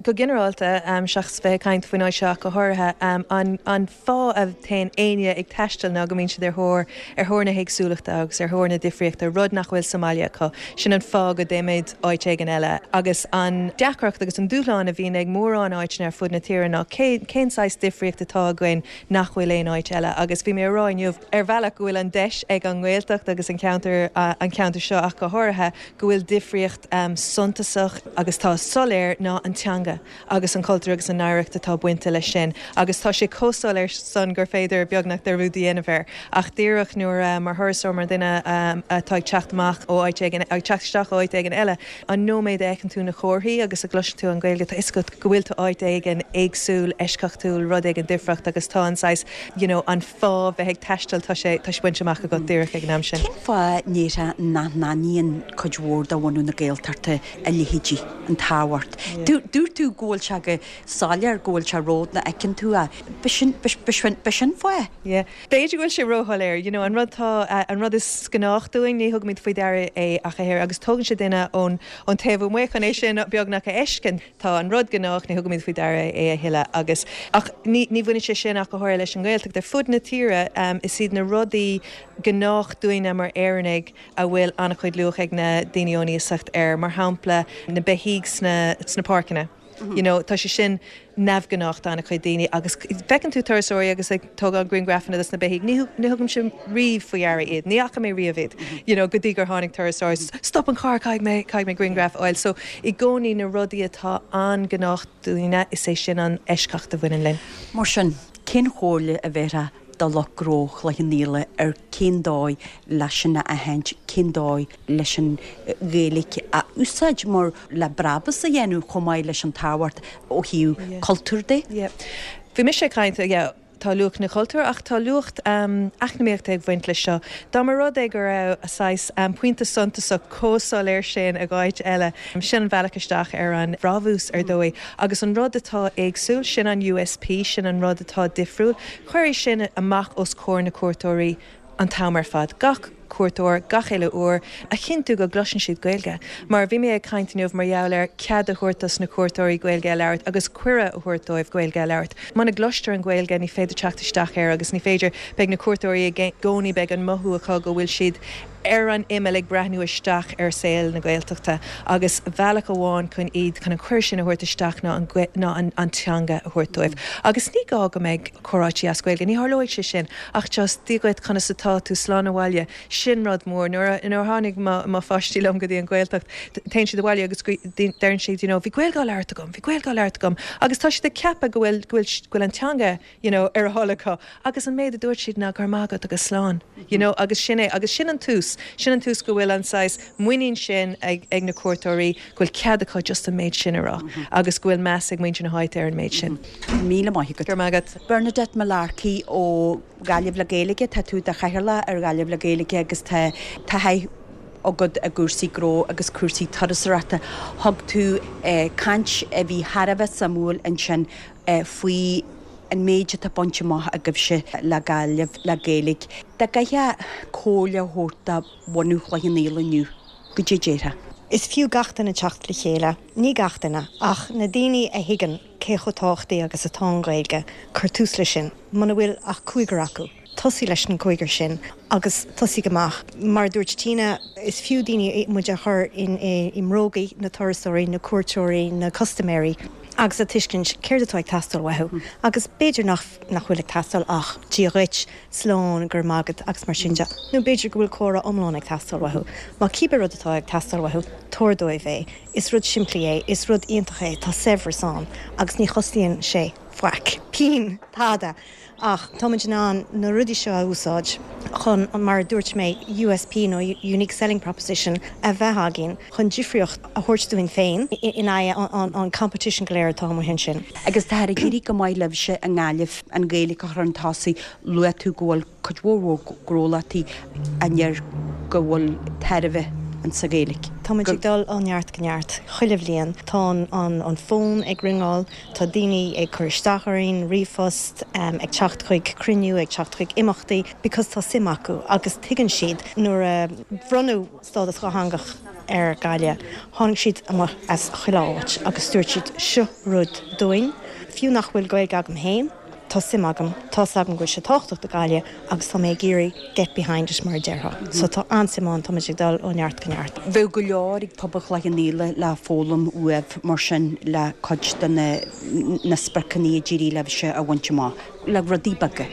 Go ginearálta, seachas bheith ag caint faoin áit seo ach go háirithe, an fáth a dtéann éinne ag taisteal ná go mbíonn siad ar thóir ar thóir na héagsúlachta agus ar thóir na difríochta, rud nach bhfuil sa mbaile acu. Sin an fáth go dtéimid áit éigin eile. Agus an deacracht agus an dúshlán a bhíonn ag mórán áiteanna ar fud na tíre ná cé cén saghas difríocht atá againn nach bhfuil aon áit eile. Agus bhí mé a rá inniu, ar bhealach, go bhfuil an deis ag an nGaeltacht agus an ceantar an ceantar seo ach go háirithe, go bhfuil difríocht suntasach agus tá soiléir ná an teanga agus an cultúr agus an oidhreacht atá bainte leis sin agus tá sé chomh soiléir san gur féidir beagnach dearúd a dhéanamh air. Ach díreach nuair, mar thurasóir, mar dhuine atá ag teacht amach ó áit éigin, ag teacht isteach ó áit éigin eile, an nóiméad a fheiceann tú na comharthaí agus a gcloiseann tú an Ghaeilge, tá fhios agat go bhfuil tú áit éigin éagsúil, eisceachtúil, rud éigin difreacht agus tá an saghas, you know, an fáth bheith ag taisteal, tá sé, tá sé bainte amach agat díreach ag an am sin. Cén fáth a ndéarfá nach n-aithníonn cuid mhór de bhunadh na Gaeltachta a leithéidí, an tábhacht? Dúirt tú go bhfuil sé go soiléir, go bhfuil sé rud nach bhfeiceann tú é. B'shin, b'shin, b'shin fáth? Yeah. B'fhéidir go bhfuil sé róshoiléir. You know, an rud tá, an rud is gnách dúinn, ní thugaimid faoi deara é ach a oiread agus tógann sé duine ón, ón taobh amuigh chun é sin beagnach a fheiscint. Tá an rud gnách, ní thugaimid faoi deara é a thuilleadh agus, ach ní, ní bhaineann sé sin ach go háirithe leis an nGaeltacht. Ar fud na tíre, is iad na rudaí gnách dúinne mar Éireannaigh a bhfuil an-chuid luach ag na daoine ón iasacht air, mar shampla na beithígh sna, sna páirceanna. You know, tá sé sin neamhghnách d'an-chuid daoine agus feiceann tú turasóirí agus ag tógáil grianghrafanna dos na beithígh, ní, ní thugaimse riamh faoi deara iad, ní fhaca mé riamh iad, you know, go dtí gur tháinig turasóir, stop an carr, caithfidh mé, caithfidh mé grianghraf a fháil. So, i gcónaí na rudaí atá an-ghnách dúinne, is é sin an eisceacht a bhaineann linn. Mar sin, cén chomhairle a bhéarfá do lucht gnó Chloich Cheann Fhaola ar cén dóigh leis sin a aithint, cén dóigh leis an Ghaeilge a úsáid mar le brabús a dhéanamh chomh maith leis an tábhacht ó thaobh cultúir de. Yeah. Bhí mise ag caint, yeah, tá luach na cultúr ach tá luach eacnamaíochta ag baint leis seo. Dá mba rud é go raibh a saghas pointe suntasach chomh soiléir sin ag áit eile, sin an bhealach isteach ar an bhrabús ar dóigh. Agus an rud atá éagsúil, sin an USP, sin an rud atá difriúil, cuir é sin amach os comhair na cuairteoirí an t-am ar fad, gach cuairteoir, gach uile uair, a chinntiú go gcloiseann siad Gaeilge. Mar bhí mé ag caint inniu mar gheall ar cead a thabhairt dos na cuairteoirí Gaeilge a labhairt agus cuireadh a thabhairt dóibh Gaeilge a labhairt. Muna gcloistear an Ghaeilge ní féidir teacht isteach air agus ní féidir, beidh na cuairteoirí i gcónaí, beidh an mothú acu go bhfuil siad ar an imeall ag breathnú isteach ar saol na Gaeltachta agus bealach amháin chun iad, chun an cuireadh sin a thabhairt isteach ná an, ná an, an teanga a thabhairt dóibh. Agus ní gá go mbeidh comhráití as Gaeilge, ní tharlóidh sé sin ach just Dia dhuit, conas atá tú, slán abhaile, sin rud mór. Nuair a, nuair a tháinig mo, mo pháistí liom go dtí an Ghaeltacht, téann siad abhaile agus deireann siad, you know, bhí Gaeilge á labhairt agam, bhí Gaeilge á labhairt agam agus tá siad ag ceapadh go bhfuil, go bhfuil, go bhfuil an teanga, you know, ar a thoil acu agus an méid a dúirt siad ná go raibh maith agat agus slán, you know, agus sin é, agus sin an tús, sin an tús go bhfuil an saghas muinín sin ag, ag na cuairteoirí go bhfuil cead acu just an méid sin a rá agus go bhfuil meas ag muintir na háite ar an méid sin. Míle maith agat. Go raibh maith agat. Bernadette Mullarkey ó Ghaillimh le Gaeilge, tá tú i do chathaoirleach ar Ghaillimh le Gaeilge agus tá taithí agat i gcúrsaí gnó agus cúrsaí turasóireachta. Thug tú caint a bhí thar a bheith suimiúil ansin faoi an méid atá bainte amach agaibhse le Gaillimh le Gaeilge. Dá gcaithfeá comhairle a thabhairt do bhunadh Chloich Cheann Fhaola inniu, goidé a déarfá? Is fiú gach duine teacht le chéile, ní gach duine ach na daoine a thuigeann cé chomh tábhachtach agus atá an Ghaeilge cuir tús leis sin, muna bhfuil ach cúigear acu. Tosaigh leis an cúigear sin agus tosaigh amach. Mar dúirt Tina is fiú daoine muid a chur in i mbróga na turasóirí, na cuairteoirí, na custaiméirí. agus a tuiscint céard atá ag teastáil uathu. agus b'fhéidir nach nach bhfuil ag teastáil ach Dia dhuit slán go raibh maith agat agus mar sin de. Nó b'fhéidir go bhfuil comhrá iomlán ag teastáil uathu. Má cibé rud atá ag teastáil uathu tabhair dóibh é. Is rud simplí é, is rud iontach é, tá saibhreas ann, agus ní chosnaíonn sé faic. Pingin tada. Ach táimid in ann na rudaí seo a úsáid chun an mar dúirt mé USP nó Unique Selling Proposition a bheith againn chun difríocht a thabhairt dúinn féin in aghaidh an, an competition go léir atá amuigh ansin. Agus tá ag éirí go maith libhse i nGaillimh an Ghaeilge a chur chun tosaigh luaigh tú go bhfuil cuid mhór gnólachtaí a ndeir go bhfuil tairbhe sa Ghaeilge. Táimid ag dul ó neart go neart chuile bhliain Tá an, an fón ag ringeáil, tá daoine ag cur isteach orainn ríomhphost um, ag teacht chuig cruinniú ag teacht chuig imeachtaí, because tá suim acu agus tuigeann siad nuair a bronnadh stádas dátheangach ar Ghaillimh. Tháinig siad amach as chuile áit agus dúirt siad seo rud dúinn, fiú nach bhfuil Gaeilge agam féin, Tá suim agam tá agam go bhfuil sé tábhachtach do Ghaillimh agus tá mé ag iarraidh get behind it mar a déarfá. So tá an-suim ann tá ag dul ó neart go neart. Bheadh go leor ag pobal Chloich Cheann Fhaola le foghlaim uaibh mar sin le cuid de na, na spriocanna a d'éirigh libhse a bhaint amach le rudaí beaga.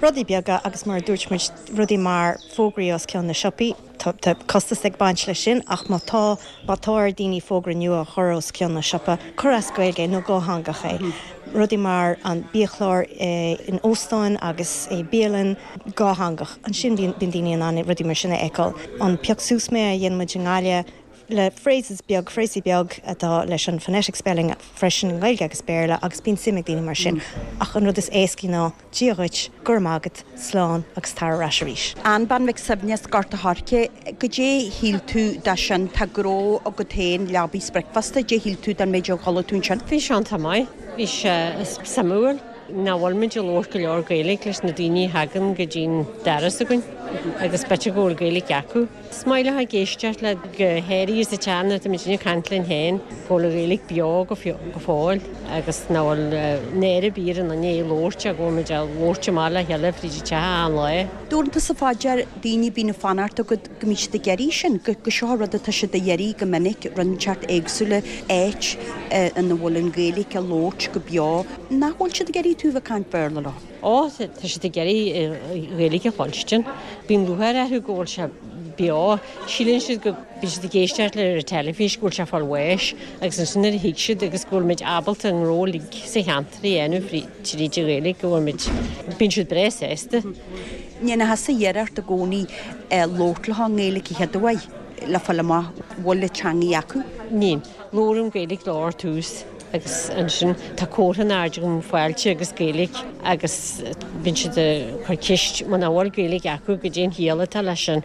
Rudaí beaga agus mar dúirt muid rudaí mar fógraí os cionn na siopaí Tá costas ag baint leis sin ach má tá má tá ar daoine fógra nua a chur os cionn na siopa cuir as Gaeilge nó dátheangach é. Mm -hmm. Rudaí mar an biachlár e, in óstáin agus é bialann dátheangach. Ansin bíonn daoine in ann rudaí mar sin a fheiceáil. An pioc suas mé a dhéanann muid i nGaillimh le phrases beag frásaí beag atá leis an phonetic spelling freisin Gaeilge agus Béarla agus bíonn suim ag daoine mar sin. Mm. Ach an rud is éasca ná Dia dhuit go raibh maith agat slán agus tar ar ais arís. Ann Bean Mhic Suibhne as Gort an Choirce, goidé shíl tú de sin tá gnó agat féin Leabaidh Bricfeasta, dé shíl tú den méid a chuala tú sin? Bhí sé an-mhaith bhí sé suimiúil nach bhfuil muid ag labhairt go leor Gaeilge leis na daoine a thagann go dtí'n doras againn agus b'fhéidir go bhfuil Gaeilge acu. Is maith leo ag éisteacht le go háirithe sa tean tá muid ag caint linn féin go bhfuil Gaeilge beo go go fóill agus nach bhfuil náire ar bith ar an duine labhairt go bhfuil muid ag labhairt amach le chéile fríd an teach an lá. Dúirt tusa fá dear daoine bíonn fanacht agat go mbíonn siad ag iarraidh sin, go go seo rud atá siad ag iarraidh go minic rud inteacht éagsúla áit ina bhfuil an Ghaeilge á labhairt go beo, nach bhfuil siad ag iarraidh tú bheith ag caint Béarla leo. Ó tá siad ag iarraidh Gaeilge a chluinstin. Bíonn lúcháir orthu go bhfuil sé beo, síleann siad go bhí siad ag éisteacht le ar teilifís go bhfuil sé fáil bháis agus ansin a thuig siad agus go bhfuil muid ábalta an gnó uilig sa cheantar a dhéanamh tríd an Ghaeilge go bhfuil muid bíonn siad breá sásta. Ní na hasa iarracht i gcónaí labhairt leo i nGaeilge chéad uair le fáil amach bhfuil an teanga acu. Ní, labhraím Gaeilge leo ar tús agus ansin tá comhartha in airde agam fáilte agus Gaeilge agus bíonn siad ag cur ceist muna bhfuil Gaeilge acu goidé an chiall atá leis sin.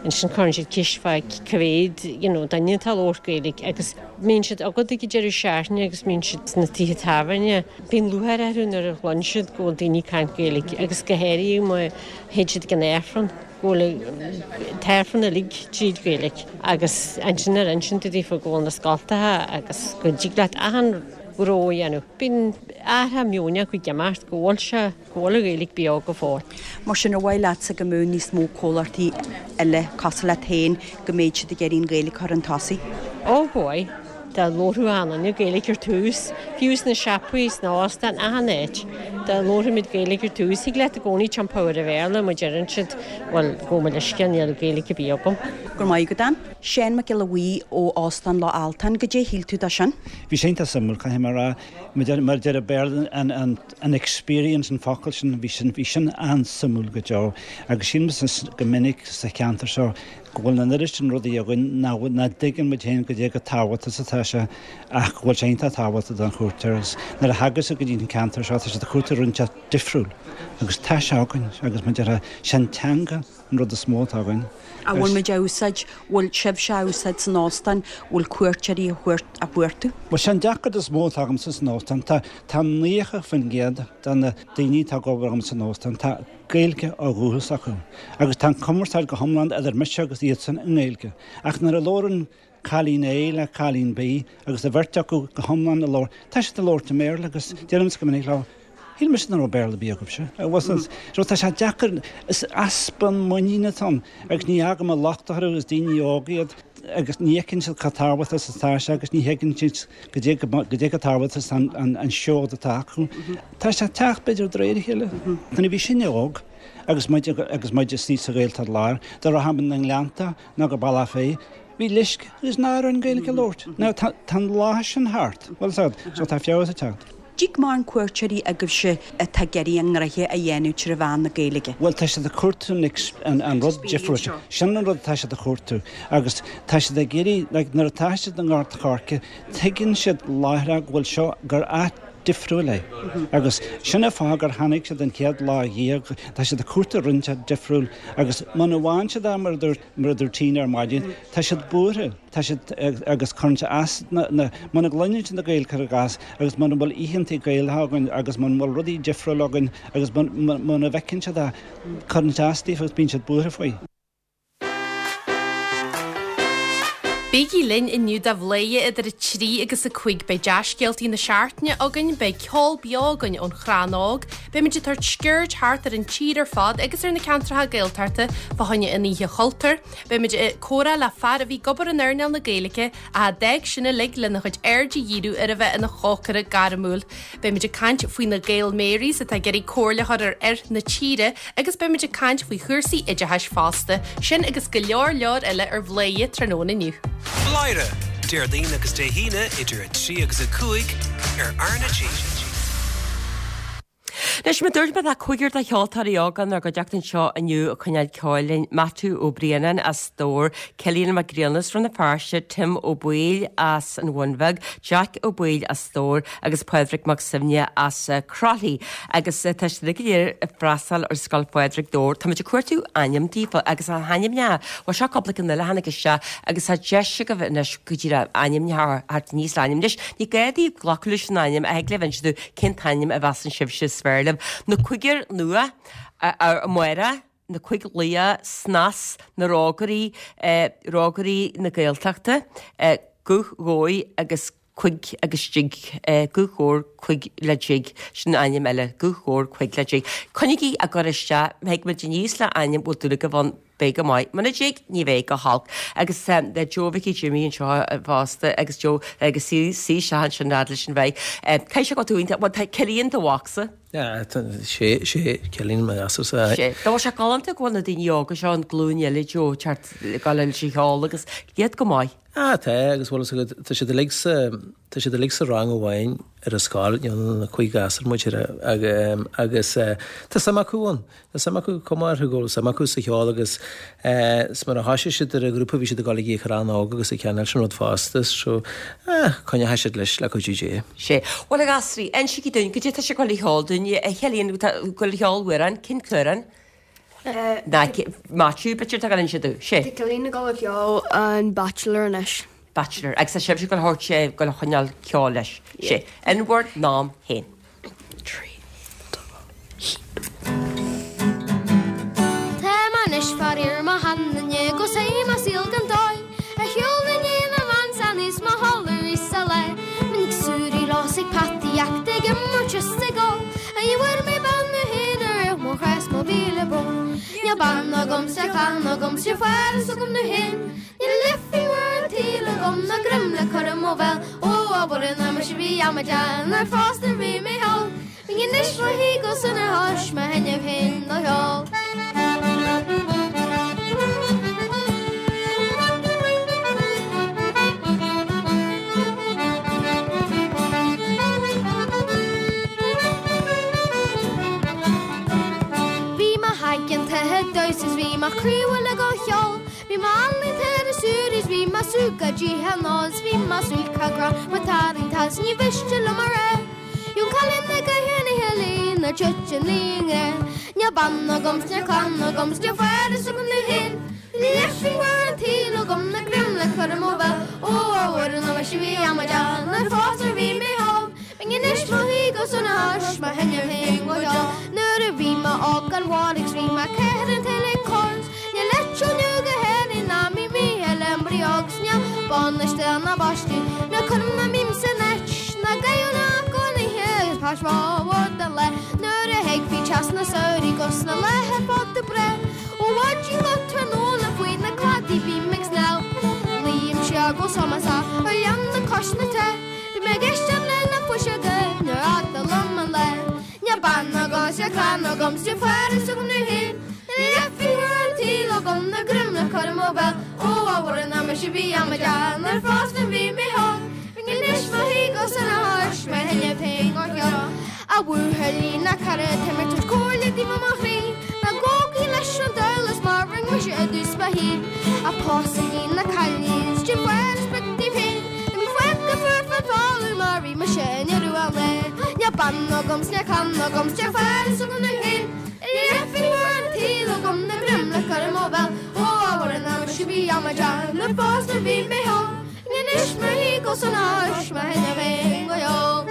Ansin cuireann siad ceist fá cá mhéad you know, duine atá ag labhairt Gaeilge agus bíonn siad agat ag deireadh seachtaine agus bíonn siad sna tithe tábhairne. Bíonn lúcháir orthu nuair a chluin siad go bhfuil daoine ag caint Gaeilge agus go háirithe má théid siad go Aifreann go bhfuil t-aifreann uilig tríd Gaeilge agus ansin ar insint daofa go bhfuil na scoltacha agus go dtig leat achan ghnó a dhéanamh. Bíonn athrú meoin acu ag imeacht go bhfuil sé go bhfuil an Ghaeilge beo go fóill. Mar sin ar mhaith leatsa go mbeadh níos mó comhlachtaí eile cosúil leat féin go mbeadh siad ag iarraidh an Ghaeilge a chur chun tosaigh. Ó bhoi, Dá labhródh achan duine Gaeilge ar tús, fiú sna siopaí sna hóstáin achan áit. Dá labhróimid Gaeilge ar tús, thig leat i gcónaí iompú ar an Bhéarla má deireann siad bhuel gabh mo leithscéal níl Gaeilge ar bith agam. Go raibh maith agat Ann. Seán Mac Giolla Bhuí ó Óstán Loch Altan, goidé shíl tú de sin. Bhí sé suimiúil caithfidh mé a rá mar deir Béarla an, an, an experience an focal sin bhí sin bhí sin an-suimiúil go deo agus sin go minic sa cheantar seo go bhfuil an oiread sin rudaí againn nach dtuigeann muid féin goidé chomh tábhachtach atá sé ach go bhfuil sé iontach tábhachtach don chuairteoir agus nuair a thagas go dtí an ceantar seo tá siad ag cuartú rud difriúil agus tá sé againn agus mar deir sin teanga an rud is mó atá againn. A bhfuil muid á úsáid bhfuil sibhse á úsáid san óstán bhfuil cuairteoirí a chuartú? Well sin deacracht is mó atá agam san óstán tá tá nócha faoin gcéad de na daoine atá ag obair agam san óstán tá Gaeilge ó dhúchas acu agus tá an cumarsáid go hiomlán idir mise agus iadsan i nGaeilge ach nuair a labhrann Cailín A le cailín B agus a bheirt acu go hiomlán ag labhairt. Tá siad ag labhairt i mBéarla agus deirimse go minic leo, Shíl mise nach raibh Béarla ar bith agaibhse. So tá sé deacair, is easpa muiníne atá ann agus ní fhágaim an locht orthu, is daoine óga iad agus ní fheiceann siad chomh tábhachtach is atá sé agus ní thuigeann siad go dté go dté chomh tábhachtach is an an seod atá acu. Tá sé ag teacht b'fhéidir de réir a chéile. Nuair a bhí sinne óg agus muid agus muid istigh sa Ghaeltacht Láir, dá rachadh muid na nGleannta nó go Bealach Féich, bhí leisce agus náire orainn Gaeilge a labhairt. Now tá an lá sin thart, bhfuil a fhios agat, so tá feabhas ag teacht. Dtig mórán cuairteoirí agaibhse atá ag iarraidh a ngnoithe a dhéanamh trí mheán na Gaeilge. Bhuel, tá siad ag cuartú an an rud difriúil seo. Sin an rud atá siad ag cuartú. Agus tá siad ag iarraidh, like, nuair atá siad i nGort a' Choirce, tuigeann siad láithreach go bhfuil seo, gur áit difriúil é. Agus sin an fáth gur tháinig siad an chéad lá dhéag, tá siad ag cuartú rud inteacht difriúil agus muna bhfaigheann siad é mar a dúirt, mar a dúirt Tina ar maidin, tá siad buartha. Tá siad agus cuireann sé as na, na, muna gcluineann siad na Gaeil cuir i gcás agus muna bhfuil oícheanta Gaelacha againn agus muna bhfuil rudaí difriúla againn agus muna bhfeiceann siad é, cuireann sé as daofa agus bíonn siad buartha faoi. Bígí linn inniu do Bhladhaire idir a trí agus a cúig. Beidh dea-scéaltaí na seachtaine againn, beidh ceol beo againn ón Chrann Óg, beimid ag tabhairt sciuird thart ar an tír ar fad agus ar na ceantracha Gaeltachta fá choinne an Oíche Chultúir, beimid ag comhrá le fear a bhí ag obair in earnáil na Gaeilge ach a d'fhág sin uilig lena chuid aird a dhíriú ar a bheith ina chócaire gairmiúil. Beimid ag caint faoi na Gael Marys atá ag iarraidh comhairle a chur ar fhir na tíre agus beimid ag caint faoi chúrsaí oideachais fosta. Sin agus go leor leor eile ar Bhladhaire tráthnóna inniu. Bladhaire, Déardaoin agus Dé hAoine idir a trí agus a cúig ar R na G. Anois, mar a dúirt mé tá cúigear de cheoltóirí óga inár gcuideachta anseo inniu ag coinneáil ceoil linn, Maitiú Ó Braonáin as Dobhar, Cillian Mac Grianna as Rann na Feirste, Tim Ó Baoill as an Bhun Bheag, Jack Ó Baoill as Dobhar agus Pádraig Mac Suibhne as Croithlí. Agus tá siad uilig go léir ag freastal ar Scoil Phádraig Dobhar. Táimid ag cuartú ainm daofa agus na hainmneacha, bhuel seo cúpla ceann eile a tháinig isteach agus tá deis agaibh anois go díreach ainmneacha a theacht aníos le ainm. Anois ní gá daoibh glacadh leis an ainm ach thig libh inse dúinn cén t-ainm a mheasann sibhse is fearr libh. Na Cúigear Nua, Amárach, Na Cúig Laoch, Snas, Na Rógairí, Rógairí na Gaeltachta, Guth Dhóigh agus Cuig agus Jig, Guth Dhobhair Cuig le Jig, sin ainm eile, Guth Dhobhair Cuig le Jig. Coinnígí á gcur isteach, má thig muid aníos le ainm bhfuil dúil agaibh ann, beidh go maith. Muna dtig, ní bheidh go holc. Agus le Joe Mhicí Jimmy anseo fosta agus Joe agus suí isteach ansin fhad leis an mhic. Caithfidh sé go bhfuil tú iontach, bhuel tá Cillian do mhacsa. Yeah, sé, sé Cillian mo ghasúrsa. Sé. Tá sé galánta go bhfuil na daoine óga seo, an glúin eile Joe, teacht ag gabháil leis an cheol agus iad go maith. Ah, tá, agus bhfuil a fhios agat, tá siad uilig sa, tá siad uilig sa rang amháin ar an scoil, you know, na cúig ghasúr muid ar a, agus tá suim acu ann, tá suim acu, cuma orthu go bhfuil suim acu sa cheol agus is mar a thoisigh siad ar an ghrúpa bhí siad ag dul ag an Chrann Óg agus ag ceannáil sin rud fosta, so ah, coinneoidh siad leis le cuidiú Dé. Sé. Bhuel, a ghasraí, insígí dúinn, goidé tá sibh ag gabháil a cheol dúinn, a Chillian, tá ag gabháil a cheol amhrán, cén t-amhrán? Ná, Maitiú, b'fhéidir tá ag gabháil a inse dúinn. Sé. Tá Cillian ag gabháil a cheol an Bachelor anois. Bachelor. Agus tá sibhse ag gabháil a thabhairt, ag gabháil a choinneáil ceoil leis. Sé. In bhur n-am féin. Trí, dó, haon. Tá mé anois faraor mo sheanduine 'gus é mo saol gan dóigh Ar shiúl na ndiaidh na mban is mo chodladh arís sa lá Minic súirí los ag peataíocht ag imirt is ag ól A ní bhfuair mé bean nó féin a rith mo chás mo mhíle brón Níl bean agam 's níl clann agam 's níl fearas agam nó féin Níl leithphingt mhór an tsaoil agam ná greim le cur i mo bhéal Ó abair an mise bhí amadán ar fás nuair bhí mé thall Bím anois mo shuí go sona thois mo thaitneamh féin do cheol. Bhí mé aigeanta ag damhsa is bhí mo chroí uilig á cheol Bhí mé ealaíonta ar an súr is bhí mé súgach díthe anall is bhí mo súil grá mo tarraingthe is ní mhiste liom a rá. Yung cailín na gaoithe ní healaín ná tite an líonra Níl bean agam 's níl clann agam 's níl fearas agam nó féin Níl leithphingt mhór an tsaoil agam ná greim le cur i mo bhéal Ó a Mhuire ná mise bhí amadán nuair fós ar bhí mé óg Bím anois mo shuí go sona thois mo thaitneamh féin go deo Nuair a bhí mé óg gan mhairg 's bhí mé ceithre an tsaoil ag cur 's Níl eiteall nua go hÉirinn ná mí mí eile an brí óg 's níl bean anois do na bpáistí Ná cuirim ná bím san áit ná gael ná cónaithe agus páis mhór den lá nuair a thiocfaidh teas na samhraidh 'gus na laethe fada breá Ó mhaidin go tráthnóna faoi na cladaí bím ag snámh Luím siar go sómasach ar leanna cois na trá Bím ag éisteacht le na fuiseoga nuair fhada liom an lá Níl bean agam 's níl clann agam 's níl fearas agam domh féin Níl leathphingin mhór an tsaoil agam ná greim le cur i mo bhéal Ó a Mhuire nach mise a bhí amaideach nuair fosta bhí mé óg Bheinn anois mo shuí go sona is mé thinne féin go ceol A bhuachaillí na cara tá mé ag tabhairt comhairle daoibh ó mo chroí Ná gabhaigí leis an diabhal is mar rinne mise i dtús mo shaoil Ach pósaigí na cailíní is déan faire is beag daoibh féin Ná bíodh fágtha fuar fán talamh mar bhí mise i ndeireadh an lae Níl bean agam 's níl clann agam 's níl fearas agam domh féin Níl leathphingin mhór an tsaoil agam ná greim le cur i mo bhéal Ó a Mhuire nach mise a bhí amaideach nuair fosta bhí mé óg Anois mo shuí go sona is mo thinne féin go ceol.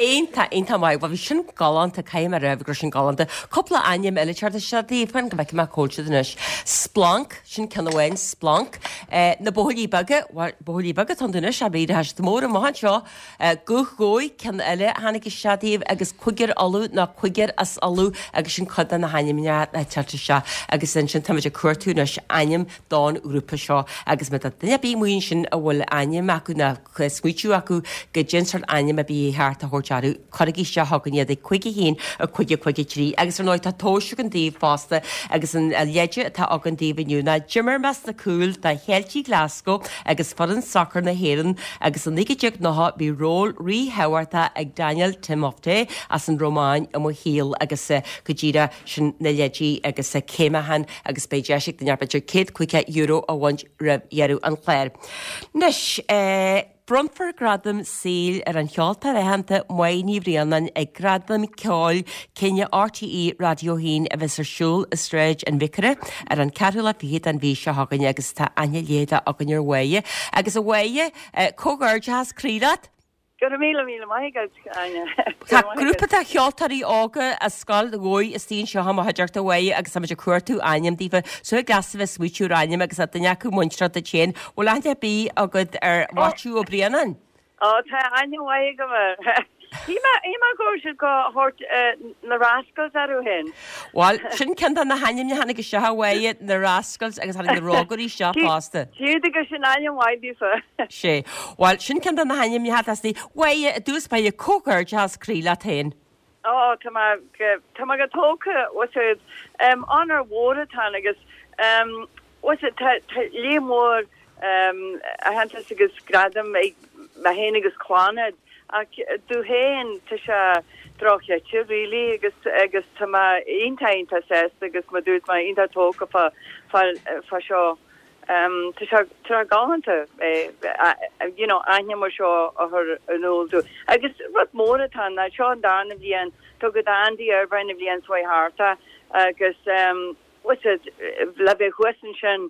Iontach, iontach maith. Bhuel, bhí sin galánta, caithfidh mé a rá go raibh sin galánta. Cúpla ainm eile ag teacht isteach daoibh, fan go bhfeicfidh mé cá bhfuil siad anois. Splanc, sin ceann amháin, Splanc. Eh, na Buachaillí Beaga, bhuel, Buachaillí Beaga atá iontu anois, ach b'fhéidir tá siad mór amach anseo. Eh, Guth Ghoill, ceann eile a tháinig isteach daoibh, agus Cúigear Uladh nó Cúigear as Uladh agus sin cuid de na hainmneacha atá ag teacht isteach. Agus ansin táimid ag cuartú anois ainm don ghrúpa seo agus má tá duine ar bith amuigh ansin a bhfuil ainm acu nó smaoitiú acu goidé an sórt ainm a bhí ceart a thabhairt orthu, cuirigí isteach chugainn iad ag cúig a haon, a cúig a cúig a trí. Agus ar ndóigh tá tomhais againn daoibh fosta agus an leide atá againn daoibh inniu ná d'imir mé sna cúil do Cheiltigh Glasgow agus foireann sacair na hÉireann agus i naoi déag nócha bhí ról ríthábhachtach ag Daniel Timofte as an Rómáin i mo shaol agus go díreach sin na leidí agus céimeachan agus beidh deis ag duine ar bith céad caoga euro a bhaint roimh dheireadh an chláir. Anois, bronnfar gradam saoil ar an cheoltóir aitheanta Máire Ní Bhraonáin ag Gradaim Ceoil Cine RTÉ Raidió a hAon a bheas ar siúl i Sráid an Bhiocáire ar an ceathrú lá fichead den mhí seo chugainn agus tá aithne léithe againn ar Mháire. Agus a Mháire, comhghairdeachas croí leat! Go raibh míle míle maith agat, Áine. Tá grúpa de cheoltóirí óga as Scoil Ghabhair istigh anseo i mo chuideachta a Mháire agus táimid ag cuartú ainm daofa. So thig leatsa bheith ag smaoitiú ar ainm agus tá duine acu muinteartha duit féin. Bhfuil aithne ar bith agat ar Mhaitiú Ó Braonáin? Ó, tá aithne mhaith agam air. Shíl mé shíl mé go raibh siad ag tabhairt na Rascals orthu féin. Bhuel, sin ceann de na hainmneacha a tháinig isteach a Mháire, na Rascals agus tháinig na Rógairí isteach fosta. Siúd agus sin ainm mhaith daofa. Sé. Bhuel, sin ceann de na hainmneacha atá istigh. A Mháire, i dtús báire, comhghairdeachas croí leat féin. Ó, tá mé go, tá mé go tógtha, bhfuil a fhios agat. Onóir mhór atá ann agus, bhfuil a fhios agat, tá, tá léim mhór aitheantas agus gradam ag mé féin agus Clannad ach domh féin tá sé dochreidte really agus agus tá mé iontach iontach sásta agus mar dúirt mé iontach tógtha fá fá fá seo. Tá sé tá sé galánta you know aithne mar seo a chur in iúl domh. Agus rud mór atá ann ná seo an darna bhliain tugadh d'Andy Irvine an bhliain seo chuaigh thart agus bhfuil a fhios agat le bheith thuas ansin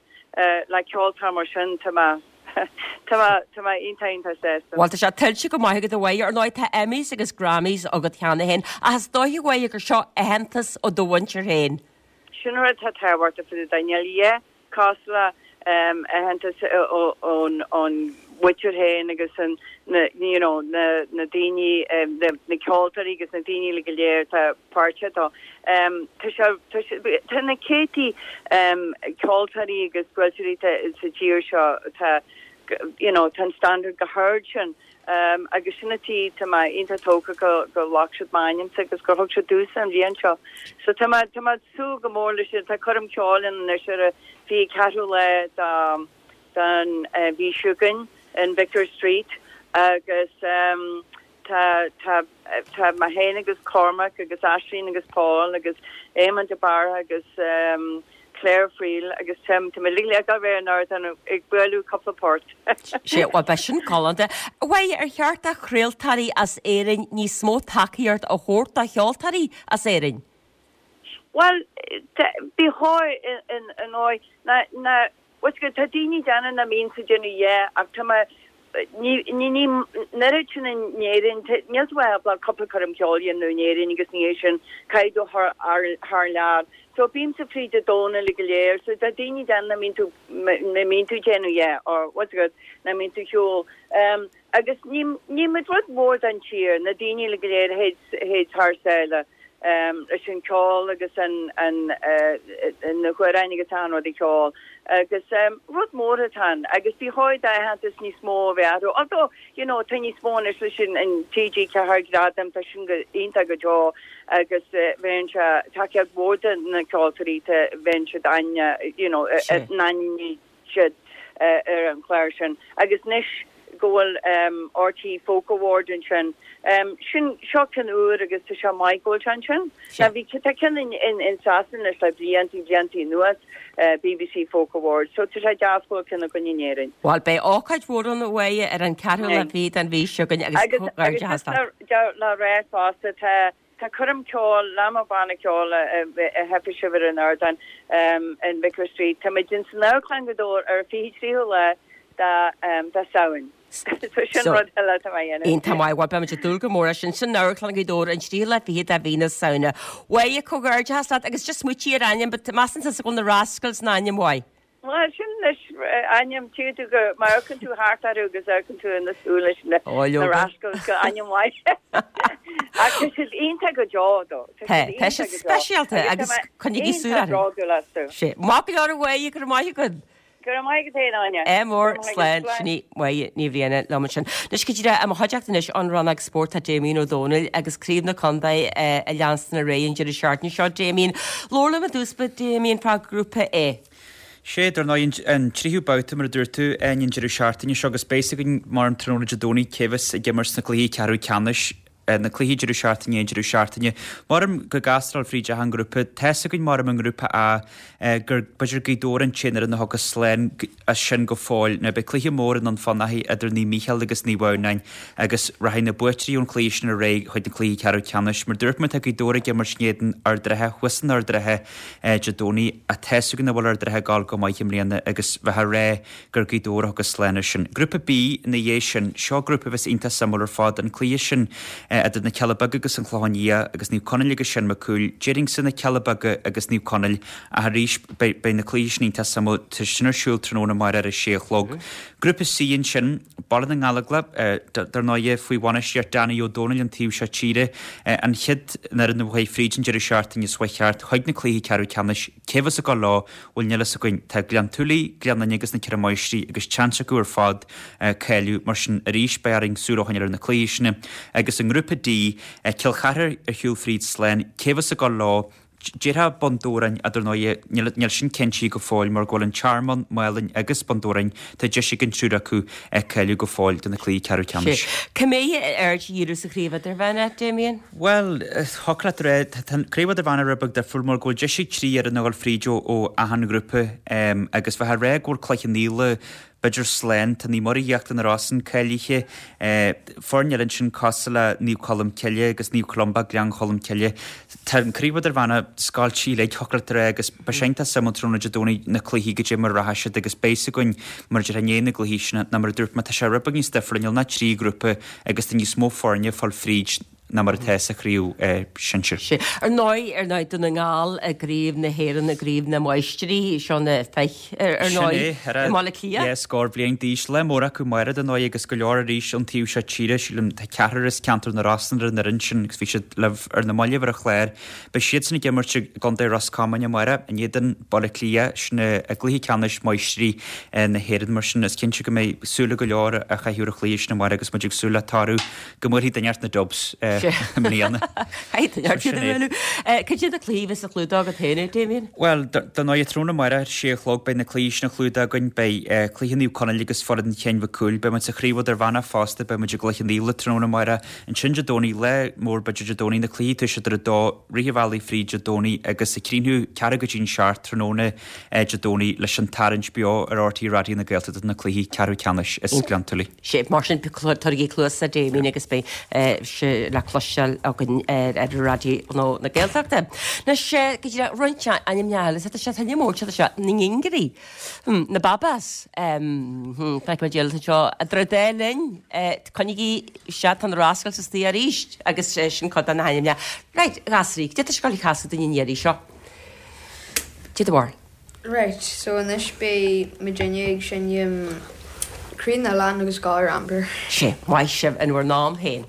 le ceoltóir mar sin tá mé tá mé tá mé iontach iontach sásta. Bhuel tá sé tuillte go maith agat a Mháire, ar ndóigh tá Emmys agus Grammys agat cheana féin ach is dóiche a Mháire gur seo aitheantas ó do mhuintir féin. Sin rud atá tábhachtach fá dtaobh Daniel, yeah, cosúil le aitheantas ón mhuintir féin agus an na you know na na daoine na na ceoltóirí agus na daoine uilig go léir atá páirteach dó. Tá sé tá sé tá na céadtaí ceoltóirí agus buaiteoirí sa tír seo tá you know tá an standard go hard sin agus sin an tuige tá mé iontach tógtha go go ghlac siad m'ainmse agus gur thug siad domhsa an bhliain seo. So tá mé tá mé ag súil go mór leis sin. Tá coirm ceoil ann anois ar an fiche ceathrú lá de den mhí seo chugainn in Vicar Street agus tá tá tá mé féin agus Cormac agus Aisling agus Paul agus Éamonn de Barra agus Claire Friel agus Tim, tá muid uilig ag dul ar an ardán ag bualadh cúpla port. Sea, bhuel beidh sin galánta. A Mháire, ar cheart do chraoltóirí as Éirinn níos mó tacaíocht a thabhairt do cheoltóirí as Éirinn? Bhuel, bí chóir in ndóigh na na what's good tá daoine déanamh na mbíonn sa déanamh yeah ach tá mé ní ní ní an oiread sin in Éirinn níl tú ábalta cúpla coirm ceoil a dhéanamh in Éirinn agus ní hé sin caithfidh tú thar thar lear. So bímse fríd an domhan uilig go léir so tá daoine déanamh na mbíonn tú na mbíonn tú déanamh yeah or what's good na mbíonn tú ceol. Um, agus ní ní muid rud mór den tír na daoine uilig go léir a théid thar sáile. Um, leis an ceol agus an an uh, na hamhráin agus an rud ceol agus um, rud mór atá ann agus bí chóir d'aitheantas níos mó a bheith acu although you know tá níos mó anois leis sin an TG Ceathair Gradam tá sin go iontach go deo agus uh, bheinn se tacaíocht mhór do na ceoltóirí bheinn siad aine you know n-aithníonn siad uh, ar an chlár sin agus anois go bhfuil um, RTÉ Folk Award ansin. Um, sin seo ceann úr agus tá sé maith go bhfuil sin. Na bhí tá ceann in, in, in Sasana leis le blianta blianta anuas uh, BBC Folk Award, so tá sé deas go bhfuil ceann againn in Éirinn. Bhuel beidh ócáid mhór ann uaidh ar an ceathrú lá fichead den mhí seo chugainn agus Agus agus comhghairdeachas leat. le le rá fosta tá Tá coirm ceoil le mo bhanna ceoil a fheicfidh sibh ar an ardán um, in Vicar Street. Tá muid in san Amharclann Ghaoth Dobhair ar fiche tríú lá de um, de Samhain. So sin rud eile atá mé a dhéanamh. Iontach maith, bhuel beimid ag dúil go mór leis sin san Amharclann Ghaoth Dobhair an tríú lá fichead de mhí na Samhna. Mhaidhe comhghairdeachas leat agus just smaointigh ar ainm, but measann tusa go bhfuil na Rascals an ainm mhaith. Well sin leis ainm tú tú go mar amharcann tú thart orthu agus amharcann tú ina súil leis na Ó, na Rascals go ainm mhaith. Ach tá siad iontach go deo dó. Tá tá siad speisialta agus coinnigí súil orthu. Sé Maith go leor a Mhaidhe go raibh maith agat. Go raibh maith agat féin Áine. É mór slán sin í Máire Ní Bhriain liom ansin. Anois go díreach i mo chuideachta anois ón rannóg spóirt tá Damien Ó Dónaill agus craobh na contae ag leanstan ar aghaidh an deireadh seachtaine seo Damien. Labhair liom i dtús báire Damien fá grúpa A. Sé dar ndóigh an tríú babhta mar a dúirt tú an deireadh seachtaine seo agus beidh a fhios againn mar an tráthnóna Dé Domhnaigh cé bheas ag imirt sna cluichí ceathrú ceannais na cluichí deireadh seachtaine an deireadh seachtaine. Mar go gasráil fríd an grúpa tá a fhios againn mar an ngrúpa A gur b'fhéidir Gaoth Dobhair an t-aon fhoireann a thiocfas slán as sin go fóill na beidh cluiche mór in Dún Fionnachaidh idir Naomh Mícheál agus Naomh Adhamhnáin agus rachaidh na buaiteoirí ón chluiche sin ar aghaidh chuig na cluichí ceathrú ceannais. Mar dúirt mé tá Gaoth Dobhair ag imirt in éadan Ard an Rátha thuas in Ard an Rátha Dé Domhnaigh tá a fhios againn nach bhfuil Ard an Rátha ag gabháil go maith i mbliana agus bheith rá gur Gaoth Dobhair a thiocfas slán as sin. Grúpa B ina dhiaidh sin seo grúpa bheas iontach suimiúil ar fad an cluiche sin idir na Cealla Beaga agus an Clochán Liath agus Naomh Conaill agus Seán Mac Cumhaill, déarfainnse na Cealla Beaga agus Naomh Conaill ach arís beidh na cluichí sin iontach suimiúil tá sin ar siúl tráthnóna amárach ar a sé a chlog. Grúpa C ansin Baile na nGallóglach dar ndóigh faoi bhainistíocht Danny Ó Dónaill an taobh seo tíre an chéad fhoireann a chuaigh fríd an deireadh seachtaine seo cheart chuig na cluichí ceathrú ceannais cé bheas ag dul leo bhuel níl a fhios againn tá Gleann tSúilí, Gleann Fhinne agus na Ceithre Máistrí agus seans acu ar fad cáiliú mar sin arís beidh orainn súil a choinneáil ar na cluichí sin agus an ngrúpa D Cill Chartha ar shiúl fríd slán cé bheas ag dul leo Déarfá Bun Dobhráin dar ndóigh níl sin cinnte go fóill mar go bhfuil an Tearmann, Málainn agus Bun Dobhráin tá deis ag an triúr acu cáiliú go fóill do na cluichí ceathrú ceannais. Cá mbeidh aird á dhíriú sa chraobh idirmheánach, Damien? Bhuel, thiocfadh leat rá tá an craobh idirmheánach rud beag difriúil mar go bhfuil deis ag trí fhoireann a dhul fríd ó achan ghrúpa agus bheith rá go bhfuil Cloich Cheann Fhaola b'fhéidir slán tá Naomh Muire Íochtar na Rosann cáilithe foirne eile ansin cosúil le Naomh Colm Cille agus Naomh Columba Gleann Cholm Cille. Tá an craobh idirmheánach scoilte uilig thiocfadh leat rá agus beidh sé iontach suimiúil tráthnóna Dé Domhnaigh na cluichí goidé mar a rachaidh siad agus beidh a fhios againn mar a déarfá i ndiaidh na gcluichí sin ná mar a dúirt mé tá sé rud beag níos difriúil níl ach trí ghrúpa agus tá níos mó foirne ag fáil fríd ná mar atá sa chraobh sinsir. Sé. Ar ndóigh ar ndóigh Dún na nGall i gcraobh na hÉireann i gcraobh na Máistrí seo na feich ar ndóigh i mBaile Átha Cliath. Yes, scór bliain d'aois lá mór acu amárach dar ndóigh agus go leor arís ón taobh seo tíre sílim tá ceathrar as ceantar na Rosann ar an fhoireann sin agus bhí siad libh ar na mallaibh ar an chlár. Beidh siadsan ag imirt i gContae Ros Comáin amárach in éadan Baile Átha Cliath sin i gcluiche ceannais Máistrí na hÉireann mar sin is cinnte go mbeidh súile go leor á chaitheamh ar an chluiche sin amárach agus muid ag súil le toradh go mbuailfidh duine inteacht na Dubs i mbliana. Cad iad na cluichí a bheas á chlúdach agat féin, Damien? Bhuel, dar ndóigh tráthnóna amárach ar sé a chlog beidh na cluichí sin á chlúdach againn, beidh cluiche Naomh Conaill agus foireann Chinn Mhic Cumhaill, beidh muid sa chraobh idirmheánach fosta, beidh muid i gCloich Cheann Fhaola tráthnóna amárach, ansin Dé Domhnaigh, lá mór b'fhéidir Dé Domhnaigh, na cluichí ag toiseacht ar a dó, rith an bhealaigh fríd Dé Domhnaigh agus ag críochnú ceathrú go dtí'n seacht tráthnóna Dé Domhnaigh leis an tarraingt beo ar RTÉ Raidió na Gaeltachta do na cluichí ceathrú ceannais is Gleann tSúilí. Sé mar sin tabhairigí cluas do Damien agus beidh sé le cloisteáil againn ar ar Raidió na Gaeltachta. Anois go dtí roinnt ainmneacha eile, tá sé tá mór tá sé na nGingerí, na Babas, feicfidh muid seo idir an dá linn, coinnigí isteach tá na Rascals istigh arís agus sin cuid de na hainmneacha. Right, a ghasraí, cad é tá sibh ag gabháil a chasadh dúinn an iarraidh seo. Cad é do bharúil. Right, so anois beidh muidinne ag seinm Croí na nOileán agus Galar Amber. Sé, maith sibh in bhur n-am féin.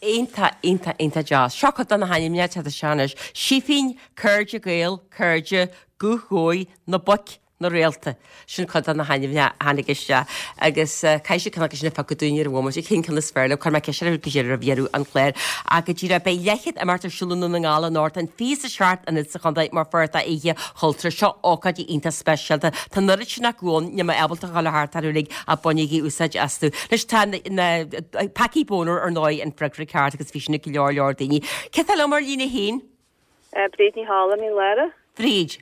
Iontach, iontach, iontach deas. Seo cuid de na hainmneacha atá isteach anois. Sífín, Cairde Gael, Cairde, Guth Ghoill, Na Boic, Na Réalta. Sin cuid de na hainmneacha a tháinig isteach. Agus caithfidh sibh ceann acu sin a phiocadh dúinn ar an bhomaite. Cén ceann is fearr libh? Cuirfidh mé ceist oraibh go dtí roimh dheireadh an chláir. Ach go díreach, beidh leathchéad imeacht ar siúl i nDún na nGall anocht, an fiche is a seacht ionad sa chontae mar pháirt d'Oíche Chultúir. Seo ócáid iontach speisialta. Tá an oiread sin acu ann, níl mé ábalta a dhul thart orthu uilig ach bainigí úsáid astu. Anois tá na Packie Boner ar ndóigh an freagra ceart agus bhí sin ag go leor leor daoine. Cé tá liom ar líne a haon? Bríd Ní Thála, Mín Lárach. Bríd,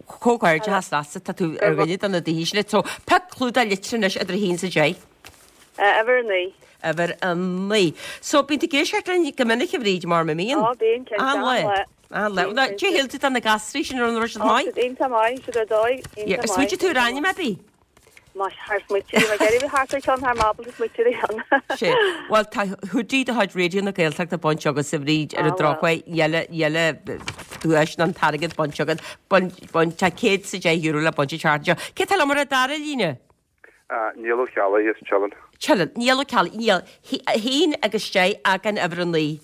comhghairdeachas leatsa, tá tú ar dhuine de na daoine sin. So, pioc clúdach litreach anois idir a haon is a deich. Uimhir a naoi. Uimhir a naoi. So, bíonn tú ag éisteacht linn go minic a Bhríd, mar a mbíonn? Á, bíonn, cinnte. Achan lá. Achan lá. Cad é a shíl tú de na gasraí sin, an raibh siad maith? Tá siad iontach maith, siad ar dóigh, iontach maith. Ar smaointigh tú ar ainm ar bith? Más thar smaointigh, bhí mé ag iarraidh bheith thart ar cheann thar m'ábalta smaointigh ar cheann. Sé. Bhuel, tá hoodie de chuid Raidió na Gaeltachta bainte agat a Bhríd ar an drochuair, níl, níl duais ná an t-airgead bainte agat. Bain, bain, tá céad is a deich euro le baint an tseachtain seo. Cé tá liom ar an dara líne? Niall Ó Ceallaigh as Teileann. Teileann. Niall Ó Ceallaigh. Niall, a haon agus deich ach an uimhir a naoi.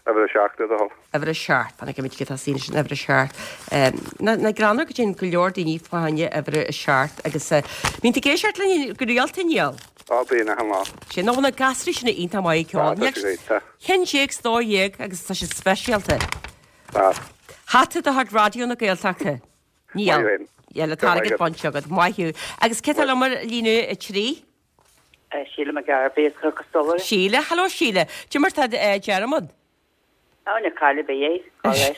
Uimhir a seacht, le do thoil. Uimhir a seacht. Fan go bhfeicfidh muid cé atá istigh in uimhir a seacht. Nach greannmhar go dtéann go leor daoine fá choinne uimhir a seacht agus bíonn tú ag éisteacht linn go rialta, Niall? Á, bíonn, achan lá. Sin, nó na gasraí sin iontach maith ag ceol. Tá, tá siad iontach. Ceann déag 's dó dhéag agus tá siad speisialta. Tá. Hata de chuid Raidió na Gaeltachta. Niall. Maith thú. Níl an t-airgead bainte agat. Maith thú. Agus cé tá liom ar líne a trí? Síle McGarvey as Cnoc an Stolaire. Síle, hello Síle. Cad é mar tá Diarmuid? Á na caile bé é leis.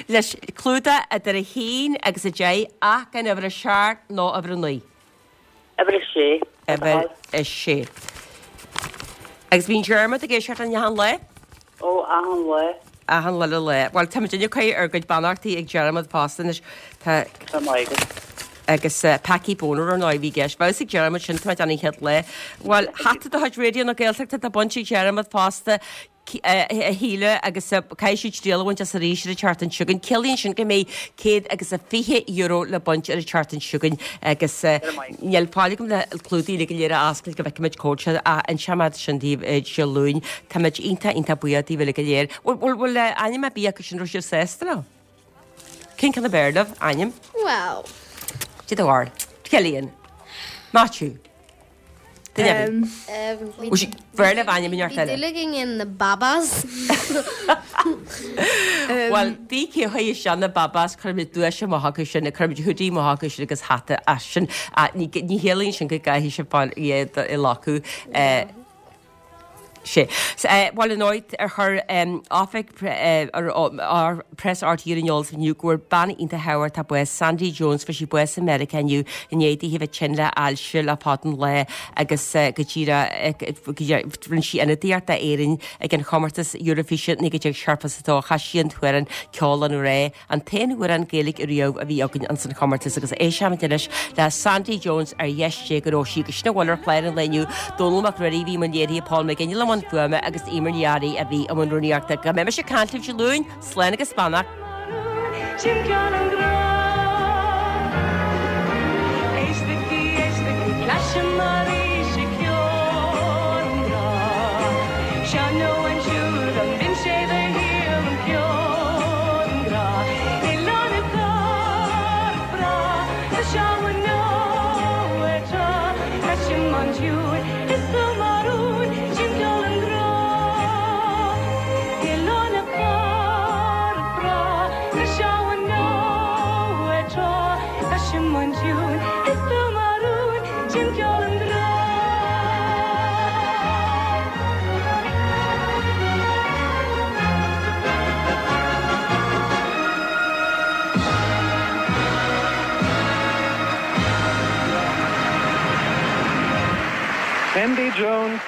Leis clúdach idir a haon agus a deich ach gan uimhir a seacht nó uimhir a naoi. Uimhir a sé. Uimhir a sé. Agus bíonn Diarmuid ag éisteacht linn achan lá? Ó achan lá. Achan lá le lá. Well táimid ag cur ár gcuid beannachtaí ag Diarmuid fosta anois tá Tá maith agat. agus uh, Packie Boner ar ndóigh bhí ceist. Bhás ag Diarmuid sin tá an chéad le. Well hata de chuid Raidió na Gaeltachta tá bainte ag Diarmuid fosta a Shíle agus caithfidh siad triail a bhaint as arís ar an tseachtain seo chugainn. Ciallaíonn sin go mbeidh céad agus a fiche euro le baint ar an tseachtain seo chugainn agus níl fáil agam le clúdaigh le go léir a oscailt go bhfeicfimid cód se an seamad sin daoibh Dé Luain. Táimid iontach iontach buíoch daoibh uile go léir. Bhfuil bhfuil ainm ar bith acu sin raibh sibh sásta leo? Cén ceann ab fhearr libh ainm? Well. Did bhar. Cillian. Matthew. Um, B'fhearr libh ainm inteacht Bhí eile. dúil againn in na Babas. Well, dí cé chuir sin na Babas chuir duais amach acu sin, chuir hoodie amach acu sin agus hata as sin. Ní chiallaíonn sin go gcaithfidh sibh fáil iad i lacú. Sé. Bhuel an áit ar chuir oifig ar Press RTÉ ar an eolas inniu go bhfuair bean iontach thábhachtach bás Sandy Jones fuair sí bás i Meiriceá inniu i ndiaidh di a bheith tinn le ailse le fada an lá agus go díreach rinne sí ionadaíocht d'Éirinn ag an chomórtas Eurovision naoi déag seachtó a dó chas sí an t-amhrán Ceol an Ghrá an t-aon amhrán Gaeilge riamh a bhí againn ansan chomórtas agus éistfimid anois le Sandy Jones ar dheis Dé go raibh sí agus sin a bhfuil ar chlár an lae inniu Dónal Mac Ruairí bhí i mbun léirithe Paul McGinley i mbun fuaime agus Emer Ní Fhearraigh a bhí i mbun rúnaíochta go mbeidh mise ag caint libh Dé Luain, slán agus beannacht. Sin ceol an ghrá. Éistigí, éistigí, cloisim arís í ceol an ghrá. Seo nó ansiúd an bhinn sé de shíor an ceol an ghrá. Oileán na Cara breá, tá seamhan nó ar trá, cloisim ansiúd is tú mar rún, sin ceol an ghrá. Oileán na Cara breá, tá seamhan nó ar trá, cloisim ansiúd is tú mar rún, sin ceol an ghrá. Sandy Jones.